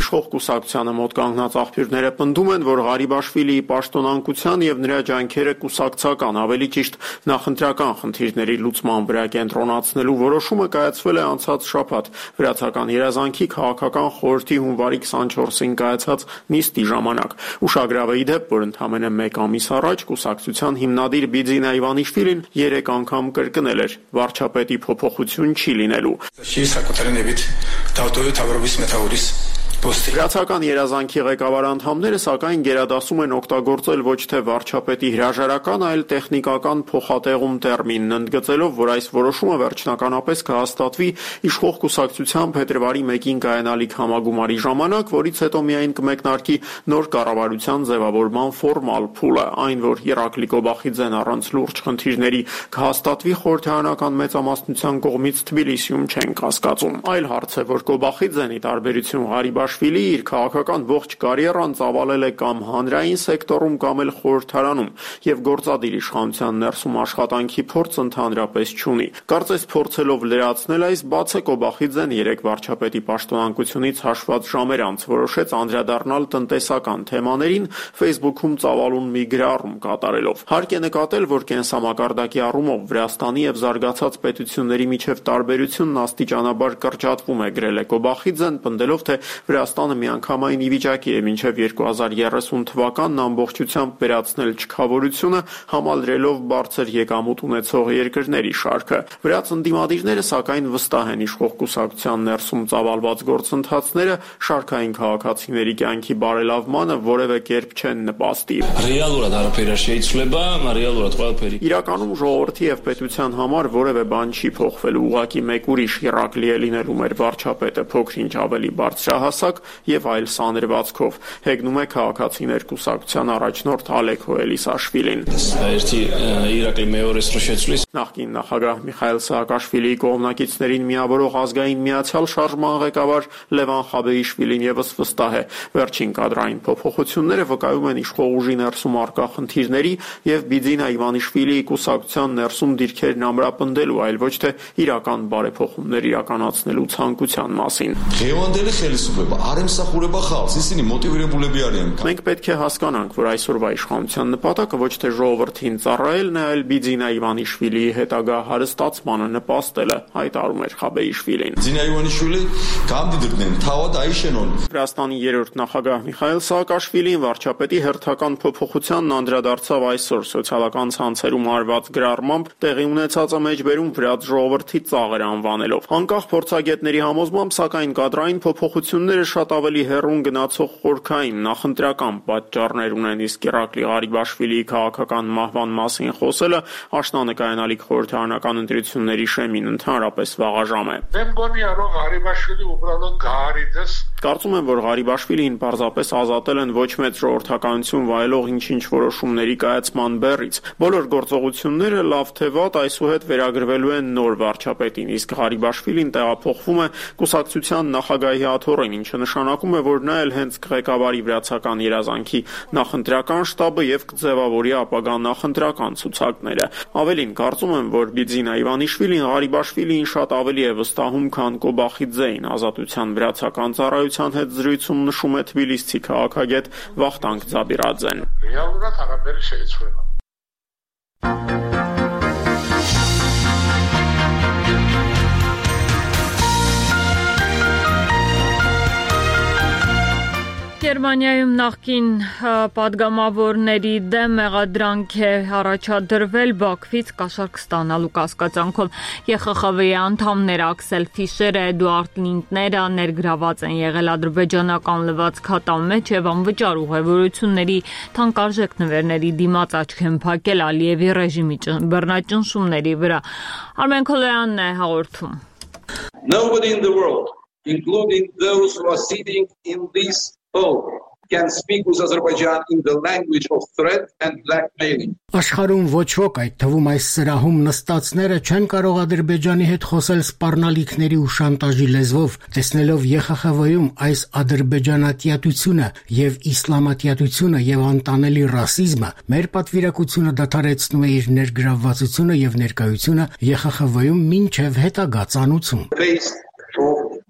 Speaker 7: Իշխող կուսակցությանը մոտ կանգնած աղբյուրները պնդում են, որ Ղարիբաշվիլիի պաշտոնանկության եւ նրա ջանքերը կուսակցական, ավելի ճիշտ նախընտրական խնդիրների լուծման վրա կենտրոնացնելու որոշումը կայացվել է անցած շաբաթ վրացական երազանքի քաղաքական խորհրդի հունվարի 24-ին կայացած նիստի ժամանակ։ Ուշագրավ է ի դեպ, որ ընդամենը 1 ամիս առաջ կուսակցության հիմնադիր Բիձինա Իվանիշվիլին 3 անգամ կրկնել էր վարչապետի փոփոխություն չի լինելու։ Վրացական երազանքի ղեկավար անդամները սակայն գերադասում են օգտագործել ոչ թե վարչապետի հրաժարական, այլ տեխնիկական փոխատեղում տերմինն, ընդգծելով, որ այս որոշումը վերջնականապես կհաստատվի իշխող կուսակցության փետրվարի 1-ին կայանալիք համագումարի ժամանակ, որից հետո միայն կմեկնարկի նոր կառավարության ձևավորման ֆորմալ փուլը, այն, որ Իրակլի Կոբախիձեն առանց լուրջ խնդիրների կհաստատվի խորհրդարանական մեծամասնության կողմից Թբիլիսիում չեն կասկածում։ Այլ հարց է, որ Կոբախիձենի տարբերություն Ղարիբաշվիլի իր քաղաքական ողջ կարիերան ծավալել է կամ հանրային սեկտորում կամ էլ խորհրդարանում եւ գործադիր իշխանության ներսում աշխատանքի փորձ ընդհանրապես չունի։ Կարծես փորձելով լրացնել այս բացը Կոբախիձեն երեք վարչապետի պաշտոնանկությունից հաշված ժամեր անց որոշեց անդրադառնալ տնտեսական թեմաներին Facebook-ում ծավալուն մի գրառում կատարելով։ Հարկ է նկատել, որ կենսամակարդակի առումով Վրաստանի եւ զարգացած պետությունների միջև տարբերությունն աստիճանաբար կրճատվում է, գրել է Կոբախիձեն, պնդելով, թե Վրաստանը միանգամայն ի վիճակի է մինչև 2030 թվականն ամբողջությամբ վերացնել չքավորությունը, համալրելով բարձր եկամուտ ունեցող երկրների շարքը։ Վրաց ընդդիմադիրները սակայն վստահ են իշխող կուսակցության ներսում ծավալված գործընթացները շարքային քաղաքացիների կյանքի բարելավմանը որևէ կերպ չեն նպաստի։ Իրականում ժողովրդի եւ պետության համար որևէ բան չի փոխվելու, ուղղակի մեկ ուրիշ Իրակլի է լինելու մեր վարչապետը փոքր-ինչ ավելի բարձրահասակ եւ այլ սանրվածքով, հեգնում է քաղաքացիներ կուսակցության առաջնորդ Ալեքո Էլիսաշվիլին։ Նախկին նախագահ Միխայել Սաակաշվիլիի կողմնակիցներին միավորող ազգային միացյալ շարժման ղեկավար Լևան Խաբեիշվիլին եւս վստահ է, վերջին կադրային փոփոխությունները վկայում են իշխող ուժի ներսում առկա խնդիրների եւ Բիձինա Իվանիշվիլիի կուսակցության ներսում դիրքերն ամրապնդելու, այլ ոչ թե իրական բարեփոխումներ իրականացնելու ցանկության մասին։ Մենք պետք է հասկանանք, որ այսօրվա իշխանության նպատակը ոչ թե ժողովրդին ծառայելն է, այլ Բիձինա Իվանիշվիլիի հետագա հարստացմանը նպաստելը, հայտարարում էր Խաբեիշվիլին։ Վրաստանի երրորդ նախագահ Միխայել Սաակաշվիլին վարչապետի հերթական փոփոխությանն անդրադարձավ այսօր սոցիալական ցանցերում արված գրառմամբ տեղի ունեցածը մեջբերում վրաց ժողովրդի ծաղր անվանելով։ Անկախ փորձագետների համոզմամբ, սակայն կադրային փոփոխությունները շատ ավելի հեռուն գնացող խորքային նախընտրական պատճառներ ունեն, իսկ Իրակլի Ղարիբաշվիլիի քաղաքական մահվան մասին խոսելը աշնանկայանալիք խորհրդարանական ընտրությունների շեմին ընդհանրապես վաղաժամ է։ Կարծում եմ, որ Ղարիբաշվիլին պարզապես ազատել են ոչ մեծ ժողովրդականություն վայելող ինչ-ինչ որոշումների կայացման բեռից։ Բոլոր գործողությունները լավ թե վատ այսուհետ վերագրվելու են նոր վարչապետին, իսկ Ղարիբաշվիլին տեղափոխվում է կուսակցության նախագահի աթոռին, ինչը նշանակում է, որ նա էլ հենց կղեկավարի վրացական երազանքի նախընտրական շտաբը եւ կձևավորի ապագա նախընտրական ցուցակները։ Ավելին, կարծում եմ, որ Բիձինա Իվանիշվիլին Ղարիբաշվիլիին շատ ավելի է վստահում, քան Կոբախիձեին, Ազատության վրացական ծառայության հետ զրույցում նշում է թբիլիսցի քաղաքագետ Վախտանգ Ձաբիրաձեն։
Speaker 1: Գերմանիայում նախկին պատգամավորների դեմ մեղադրանք է առաջադրվել Բաքվից կաշառք ստանալու կասկածանքով։ ԵԽԽՎ-ի անդամներ Աքսել Ֆիշերը, Էդուարդ Լինտները ներգրաված են եղել ադրբեջանական լվացքատան մեջ եւ անվճար ուղևորությունների թանկարժեք նվերների դիմաց աչք են փակել Ալիևի ռեժիմի բռնաճնշումների վրա։ Արմեն Քոլոյանն է հաղորդում։
Speaker 8: Nobody in the world, including those who are sitting in this hall, can speak with Azerbaijan in the language of threat and blackmailing.
Speaker 9: Աշխարհում ոչ ոք, այդ թվում այս սրահում նստածները չեն կարող Ադրբեջանի հետ խոսել սպառնալիքների ու շանտաժի լեզվով, տեսնելով ԵԽԽՎ-ում այս ադրբեջանատյատությունը եւ իսլամատյատությունը եւ անտանելի ռասիզմը, մեր պատվիրակությունը դադարեցնում է իր ներգրավվածությունը եւ ներկայությունը ԵԽԽՎ-ում մինչեւ հետագա ծանուցում։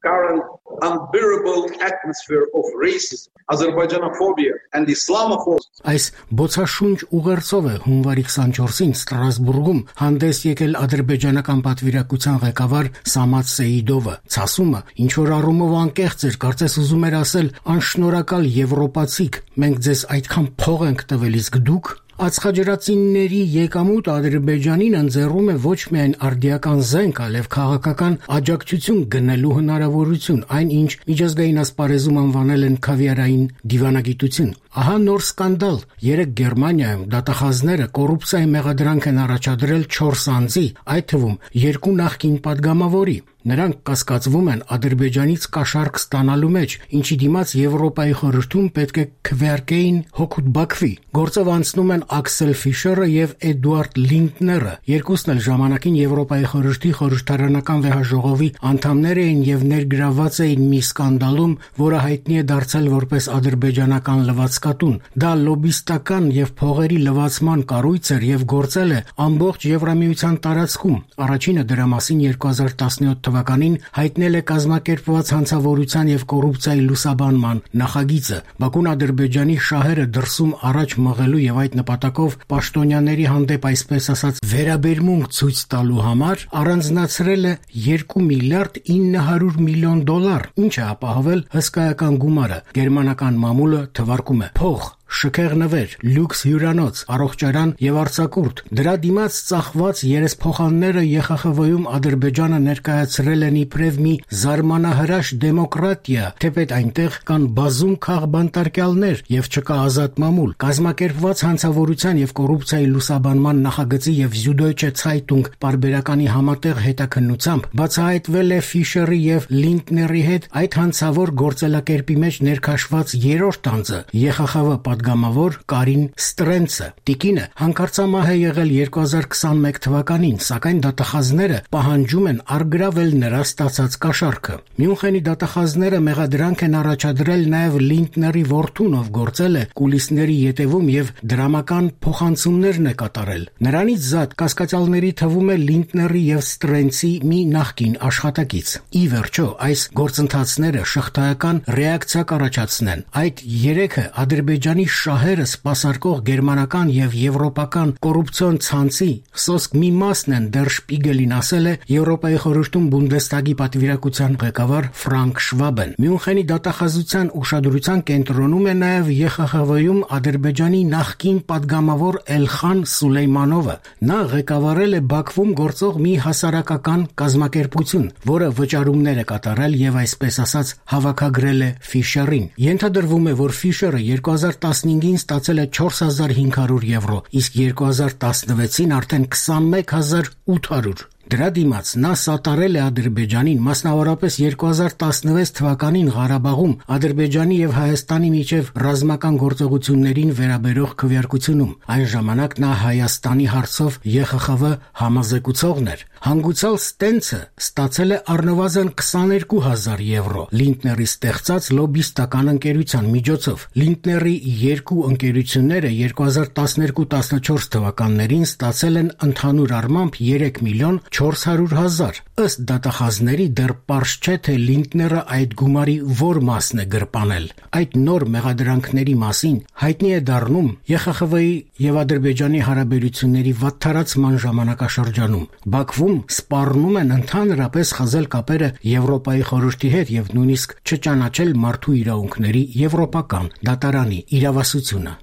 Speaker 8: Current unbearable atmosphere of racism, Azerbaijanophobia and Islamophobia.
Speaker 9: Այս բոցաշունչ ուղերձով է հունվարի 24-ին Ստրասբուրգում հանդես եկել ադրբեջանական պատվիրակության ղեկավար Սամաթ Սեիդովը։ Ցասումը, ինչ որ առումով անկեղծ էր, կարծես ուզում էր ասել՝ անշնորհակալ եվրոպացիք, մենք ձեզ այդքան փող ենք տվել, իսկ դուք Ածխաջրածինների եկամուտ Ադրբեջանին ընձեռում է ոչ միայն արդիական զենք, այլև քաղաքական աջակցություն գնելու հնարավորություն, այն ինչ միջազգային ասպարեզում անվանել են քավիարային դիվանագիտություն։ Ահա նոր սկանդալ։ Երեկ Գերմանիայում դատախազները կոռուպցիայի մեղադրանք են առաջադրել 4 անձի, այդ թվում 2 նախկին падգամավորի։ Նրանք կասկածվում են Ադրբեջանից կաշառք ստանալու մեջ, ինչի դիմաց Եվրոպայի խորհրդում պետք է քվեարկեին հօգուտ Բաքվի։ Գործով անցնում են Աքսել Ֆիշերը եւ Էդուարդ Լինդները։ Երկուսն էլ ժամանակին Եվրոպայի խորհրդի խորհրդարանական վեհաժողովի անդամներ էին եւ ներգրավված էին մի սկանդալում, որը հայտնի է դարձել որպես ադրբեջանական լվացկատուն։ Դա լոբիստական եւ փողերի լվացման կառույց էր եւ գործել է ամբողջ Եվրամիության տարածքում։ Առաջինը դրա մասին 2017 թվականին հայտնել է կազմակերպված հանցավորության եւ կոռուպցիայի լուսաբանման նախագիծը։ Բաքուն Ադրբեջանի շահերը դրսում առաջ մղելու եւ այդ նպատակով պաշտոնյաների հանդեպ այսպես ասած վերաբերմունք ցույց տալու համար առանձնացրել է 2 միլիարդ 900 միլիոն դոլար, ինչը ապահովել հսկայական գումարը։ Գերմանական մամուլը թվարկում է փող, շքեղ նվեր, լյուքս հյուրանոց, առողջարան եւ արձակուրդ։ Դրա դիմաց ծախված երեսփոխանները ԵԽԽՎ-ում Ադրբեջանը ներկայացրել են իբրև մի զարմանահրաշ դեմոկրատիա, թեպետ այնտեղ կան բազում քաղբանտարկյալներ եւ չկա ազատ մամուլ։ Կազմակերպված հանցավորության եւ կոռուպցիայի լուսաբանման նախագծի եւ Süddeutsche Zeitung պարբերականի համատեղ հետաքննությամբ բացահայտվել է Ֆիշերի եւ Լինդների հետ այդ հանցավոր գործելակերպի մեջ ներքաշված երրորդ անձը ԵԽԽՎ падգամավոր Կարին Ստրենցը։ Տիկինը հանկարծամահ է եղել 2021 թվականին, սակայն դատախազները պահանջում են առգրավել նրա ստացած կաշառքը։ Մյունխենի դատախազները մեղադրանք են առաջադրել նաև Լինդների որդուն, ով գործել է կուլիսների ետևում եւ դրամական փոխանցումներն է կատարել։ Նրանից զատ կասկածյալների թվում է Լինդների եւ Ստրենցի մի նախկին աշխատակից։ Ի վերջո, այս գործընթացները շղթայական ռեակցիա կառաջացնեն։ Այդ երեքը Ադրբեջանի շահերը սպասարկող գերմանական եւ եվրոպական կոռուպցիոն ցանցի սոսկ մի մասն են, դեռ Շպիգելին ասել է Եվրոպայի խորհրդում Բունդեստագի պատվիրակության ղեկավար Ֆրանկ Շվաբեն։ Մյունխենի դատախազության ուշադրության կենտրոնում է նաեւ ԵԽԽՎ-ում Ադրբեջանի նախկին падգամավոր Էլխան Սուլեյմանովը։ Նա ղեկավարել է Բաքվում գործող մի հասարակական կազմակերպություն, որը վճարումներ է կատարել եւ այսպես ասած հավաքագրել է Ֆիշերին։ Ենթադրվում է, որ Ֆիշերը 2015-ին ստացել է 4500 եվրո, իսկ 2016-ին արդեն 21800։ Դրա դիմաց նա սատարել է Ադրբեջանին, մասնավորապես 2016 թվականին Ղարաբաղում Ադրբեջանի եւ Հայաստանի միջև ռազմական գործողություններին վերաբերող քվեարկությունում։ Այն ժամանակ նա Հայաստանի հարցով ԵԽԽՎ համազեկուցողն էր։ Հանգուցալ Ստենցը ստացել է առնվազն 22000 եվրո Լինդների ստեղծած լոբիստական ընկերության միջոցով։ Լինդների երկու ընկերությունները 2012-14 թվականներին ստացել են ընդհանուր առմամբ 3 միլիոն 400 հազար։ Ըստ դատախազների դեռ պարզ չէ, թե Լինդները այդ գումարի որ մասն է գրպանել։ Այդ նոր մեղադրանքների մասին հայտնի է դառնում ԵԽԽՎ-ի եւ Ադրբեջանի հարաբերությունների վատթարացման ժամանակաշրջանում։ Բաքվում սպառնում են ընդհանրապես խզել կապերը Եվրոպայի խորհրդի հետ եւ նույնիսկ չճանաչել մարդու իրավունքների եվրոպական դատարանի իրավասությունը։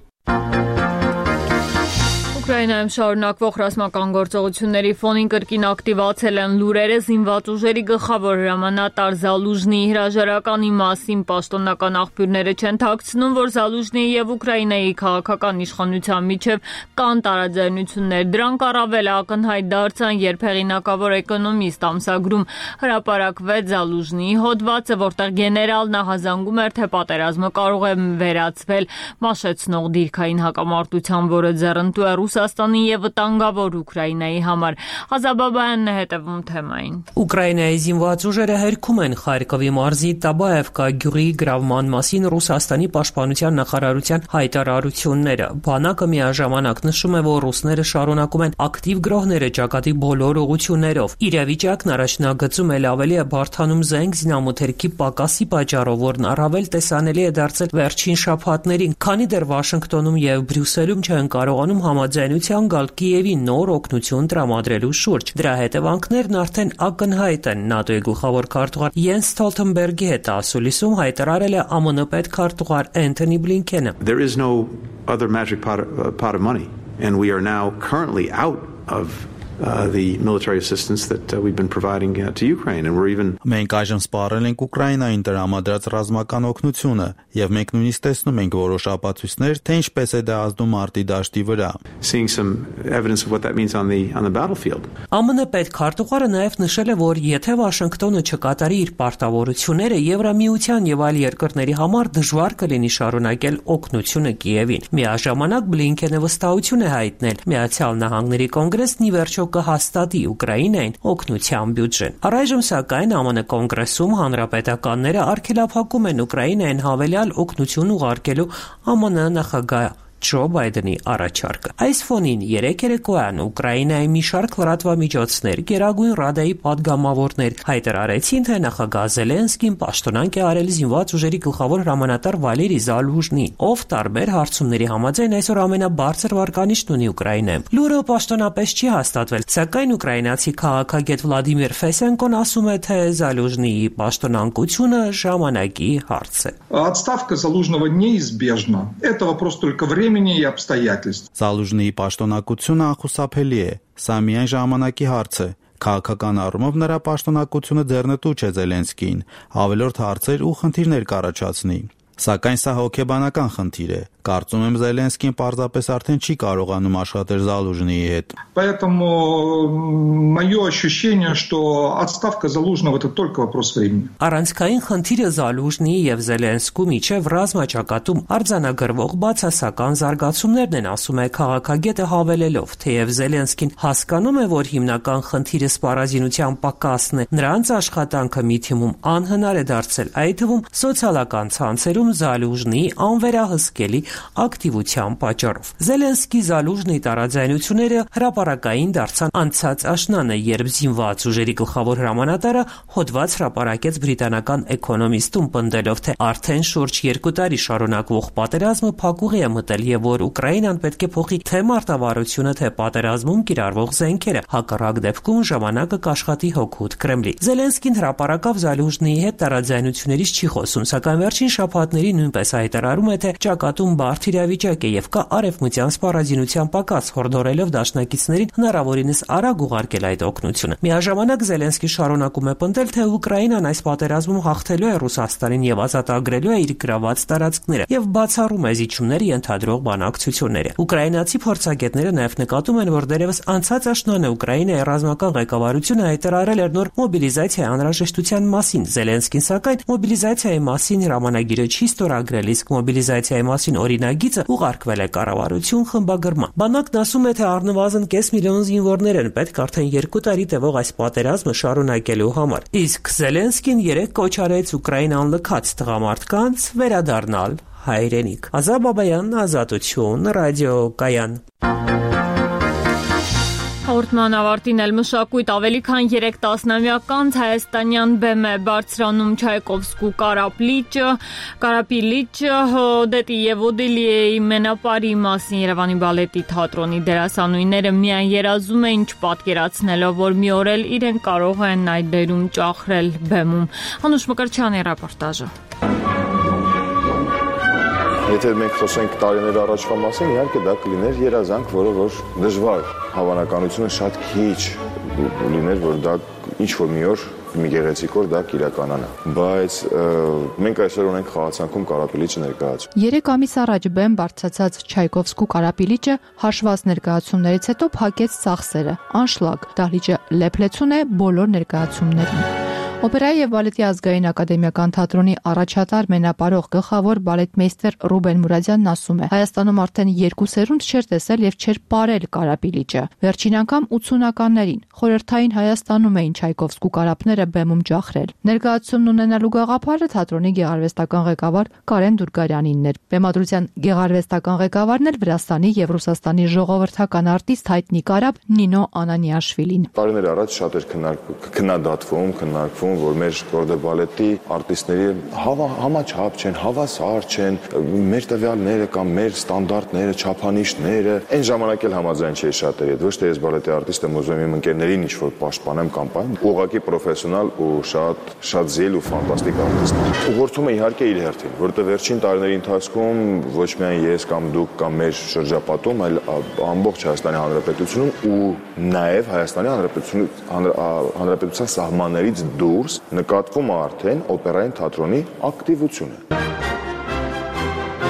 Speaker 1: Ուկրաինայում շարունակվող ռազմական գործողությունների ֆոնին կրկին ակտիվացել են լուրերը զինված ուժերի գլխավոր հրամանատար Զալուժնիի հրաժարականի մասին պաշտոնական աղբյուրները չեն թաքցնում, որ Զալուժնիի եւ Ուկրաինայի քաղաքական իշխանության միջև կան տարաձայնություններ։ Դրանք առավել ակնհայտ դարձան, երբ հեղինակավոր էկոնոմիստ ամսագրում հրապարակվեց Զալուժնիի հոդվածը, որտեղ գեներալն ահազանգում էր, թե պատերազմը կարող է վերածվել մաշեցնող դիրքային հակամարտության, որը ձեռնտու է Ռուսաստանի եւ վտանգավոր Ուկրաինայի համար։ Ղազաբաբայանն է հետևում թեմային։
Speaker 10: Ուկրաինայի զինված ուժերը հերքում են Խարկովի մարզի Տաբաևկա գյուղի գրավման մասին Ռուսաստանի պաշտպանության նախարարության հայտարարությունները։ Բանակը միաժամանակ նշում է, որ ռուսները շարունակում են ակտիվ գրոհները ճակատի բոլոր ուղղություններով։ Իրավիճակն առաջնագծում էլ ավելի է բարդանում զենք զինամթերքի պակասի պատճառով, որն առավել տեսանելի է դարձել վերջին շաբաթներին, քանի դեռ Վաշինգտոնում եւ Բրյուսելում չեն կարողանում համաձայնության գալ Կիևի նոր օգնություն տրամադրելու շուրջ։ Դրա հետևանքներն արդեն ակնհայտ են։ ՆԱՏՕ-ի գլխավոր քարտուղար Յենս Ստոլտենբերգի հետ ասուլիսում հայտարարել է ԱՄՆ պետքարտուղար Էնթոնի Բլինքենը։
Speaker 12: There is no other magic pot of money. and we are now currently out of the military assistance that we've been providing to Ukraine, and we're even
Speaker 13: Մենք այժմ սպառել ենք Ուկրաինային տրամադրած ռազմական օգնությունը, եւ մենք նույնիսկ տեսնում ենք որոշ ապացույցներ, թե ինչպես է դա ազդում արտի դաշտի վրա.
Speaker 12: seeing some evidence of what that means on the battlefield.
Speaker 10: ԱՄՆ պետքարտուղարը նաև նշել է, որ եթե Վաշինգտոնը չկատարի իր պարտավորությունները, Եվրամիության եւ այլ երկրների համար դժվար կլինի շարունակել օգնությունը Կիևին։ Միաժամանակ Բլինքենը վստահություն է հայտնել Միացյալ Նահանգների կոնգրեսն ի վերջո կհաստատի Ուկրաինային օգնության բյուջեն։ Առայժմ սակայն ԱՄՆ կոնգրեսում հանրապետականները արգելափակում են Ուկրաինային հավելյալ օգնություն ուղարկելու ԱՄՆ նախագահ Ջո Բայդենի առաջարկը։ Այս ֆոնին երեք երեկոյան Ուկրաինայի մի շարք լրատվամիջոցներ Գերագույն Ռադայի падգամավորներ հայտարարեցին, թե նախագահ Զելենսկին պաշտոնանկ է արել զինված ուժերի գլխավոր հրամանատար Վալերի Զալուժնին, ով տարբեր հարցումների համաձայն այսօր ամենաբարձր վարկանիշն ունի Ուկրաինայում։ Լուրը պաշտոնապես չի հաստատվել, сакայն ուկրաինացի քաղաքագետ Վլադիմիր Ֆեսենկոն ասում է, թե Զալուժնիի պաշտոնանկությունը ժամանակի հարց է։
Speaker 15: Отставка Залужного неизбежна. Это вопрос только времени и обстоятельств.
Speaker 13: Զալուժնիի պաշտոնակությունը անխուսափելի է։ Սա միայն ժամանակի հարց է։ Քաղաքական առումով նրա պաշտոնակությունը ձեռնտու չէ Զելենսկին, ավելորդ հարցեր ու խնդիրներ կառաջացնի։ Սակայն սա հոգեբանական խնդիր է։ Կարծում եմ Զելենսկին պարզապես արդեն չի կարողանում աշխատել Զալուժնիի հետ։
Speaker 15: Поэтому мое ощущение, что отставка Залужного это только вопрос времени.
Speaker 10: Առանցքային խնդիրը Զալուժնիի եւ Զելենսկու միջև ռազմաճակատում արձանագրվող բացասական զարգացումներն են, ասում է քաղաքագետը հավելելով, թեև Զելենսկին հասկանում է, որ հիմնական խնդիրը սպառազինության պակասն է, նրանց աշխատանքը մի թիմում անհնար է դարձել, այդ թվում սոցիալական ցանցերում Զալուժնիի անվերահսկելի ակտիվության պատճառով։ Զելենսկի Զալուժնի տարաձայնությունները հրապարակային դարձան անցած աշնանը, երբ զինված ուժերի գլխավոր հրամանատարը հոդված հրապարակեց բրիտանական Economist-ում, պնդելով, թե արդեն շուրջ 2 տարի շարունակվող պատերազմը փակուղի է մտել եւ որ Ուկրաինան պետք է փոխի թե մարտավարությունը, թե պատերազմում կիրառվող զենքերը, հակառակ դեպքում ժամանակը կաշխատի հօգուտ Կրեմլի։ Զելենսկին հրապարակավ Զալուժնիի հետ տարաձայնություններից չի խոսում, սակայն վերջին շաբաթների նույնպես հայտարարում է, թե ճակատում բարդ իրավիճակ է եւ կա արևմտյան սպառազինության պակաս, հորդորելով դաշնակիցներին հնարավորինս արագ ուղարկել այդ օգնությունը։ Միաժամանակ Զելենսկին շարունակում է պնդել, թե Ուկրաինան այս պատերազմում հաղթելու է Ռուսաստանին եւ ազատագրելու է իր գրաված տարածքները եւ բացառում է զիջումների ենթադրող բանակցությունները։ Ուկրաինացի փորձագետները նաեւ նկատում են, որ դերևս անցած աշնանը Ուկրաինայի ռազմական ղեկավարությունը հայտարարել էր նոր մոբիլիզացիայի անհրաժեշտության մասին։ Զելենսկին սակայն մոբիլիզացիայի մասին հրամանագիրը չի ստորագրել, իսկ մոբիլիզացիայի մասին օրինագիծը ուղարկվել է կառավարություն խմբագրման։ Բանակն ասում է, թե առնվազն կես միլիոն զինվորներ են պետք արդեն 2 տարի տևող այս պատերազմը շարունակելու համար։ Իսկ Զելենսկին երեք կոչ արեց Ուկրաինան լքած տղամարդկանց վերադառնալ հայրենիք։ Ազատ Բաբայան, Ազատություն, ռադիոկայան։
Speaker 1: Հաղորդման ավարտին էլ մշակույթ ավելի քան 3 տասնամյակ հայաստանյան բեմ է բարձրանում Չայկովսկու Կարապի լիճը, Օդետի եւ Օդելիեի մենապարի մասին Երևանի բալետի թատրոնի դերասանուհիները միայն երազում էին, չպատկերացնելով, որ մի օր էլ իրենք կարող են այդ դերում ճախրել բեմում։ Անուշ Մկրտչյանի ռեպորտաժը։
Speaker 16: Եթե մենք խոսենք տարիներ առաջվա մասին, իհարկե դա կլիներ երազանք, որը որ դժվար, հավանականությունը շատ քիչ լիներ, որ դա ինչ-որ մի օր մի գեղեցիկ օր դա կիրականանա։ Բայց մենք այսօր ունենք խաղացանքում Կարապի լիճը ներկայացում։
Speaker 3: 3 ամիս առաջ բեմ բարձրացած Չայկովսկու Կարապի լիճը հաշված ներկայացումներից հետո փակեց ծախսերը։ Անշլագ, դահլիճը լեփլեցուն է բոլոր ներկայացումներին։ Օպերայի եւ բալետի ազգային ակադեմիական թատրոնի առաջատար մենապարող գլխավոր բալետմեյստեր Ռուբեն Մուրադյանն ասում է. Հայաստանում արդեն 2 սերունդ չէր տեսել եւ չէր ապրել Կարապի լիճը։ Վերջին անգամ 80-ականներին խորհրդային Հայաստանում էին Չայկովսկու կարապները բեմում ջախրել։ Ներկայացումն ունենալու գաղափարը թատրոնի գեղարվեստական ղեկավար Կարեն Դուրգարյանինն էր։ Բեմադրության գեղարվեստական ղեկավարն էլ Վրաստանի եւ Ռուսաստանի ժողովրդական արտիստ հայտնի կարապ Նինո Անանիաշվիլին։
Speaker 16: Տարիներ առաջ շատ էր քննադատվում որ մեր կորդե բալետի արտիստների համաչափ չեն, հավասար չեն, մեր տվյալները կամ մեր ստանդարտները, չափանիշները, այն ժամանակ էլ համաձայն չէի շատերի հետ, ոչ թե ես բալետի արտիստ եմ ուզում իմ ընկերներին ինչ-որ պաշտպանեմ կամ պայեմ, ուղղակի պրոֆեսիոնալ ու շատ զիլ ու ֆանտաստիկ արտիստ։ Ուղղորդում է իհարկե իր հերթին, որովհետև վերջին տարիների ընթացքում ոչ միայն ես կամ դուք կամ մեր շրջապատում, այլ ամբողջ Հայաստանի Հանրապետությունում ու նաև Հայաստանի Հանրապետության սահմաններից դուրս նկատվում է արդեն օպերային թատրոնի ակտիվությունը։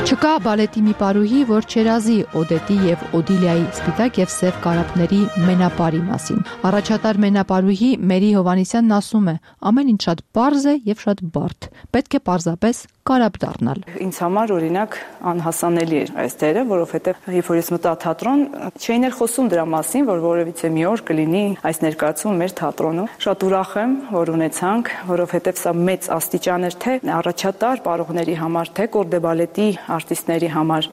Speaker 3: Չկա բալետի մի պարուհի, որ չերազի Օդետի եւ Օդիլիայի սպիտակ եւ սև կարապների մենապարի մասին։ Առաջատար մենապարուհի Մերի Հովանեսյանն ասում է. ամեն ինչ շատ պարզ է եւ շատ բարդ։ Պետք է պարզապես կարապ դառնալ։
Speaker 2: Ինձ համար օրինակ անհասանելի էր այս դերը, որովհետեւ երբ որ ես մտա թատրոն, չէին էլ խոսում դրա մասին, որ որևիցե մի օր կլինի այս ներկայացումը մեր թատրոնում։ Շատ ուրախ եմ, որ ունեցանք, որովհետեւ սա մեծ աստիճան էր թե առաջատար պարողների համար, թե կորդե բալետի արտիստների համար։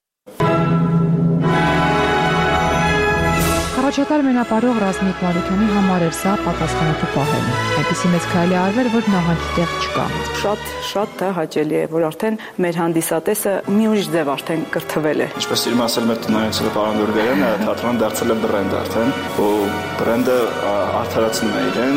Speaker 3: Առաջատար մենապարող Ռազմիկ Մարուքյանի համար էր սա պատասխանատու պահելը։ Այդպիսի մեծ քայլի արվեր, որ նահանջի տեղ չկա։
Speaker 2: Շատ դա հաճելի է, որ արդեն մեր հանդիսատեսը մի ուրիշ ձև արդեն կրթվել է։
Speaker 4: Ինչպես իրում ասել մեր տնօրենը պարոն Գուրգենյանը, թատրոնը դարձել է բրենդ արդեն, ու բրենդը արդարացնում է իրեն։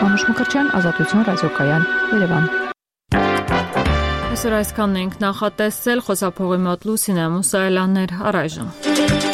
Speaker 3: Անուշ Մկրտչյան, Ազատություն, ռադիոկայան, Երևան։
Speaker 1: Այսօր այսքանն ենք նախատեսել, խոսափողի մոտ Լուսինե Մուսայելյաններ, առայժմ։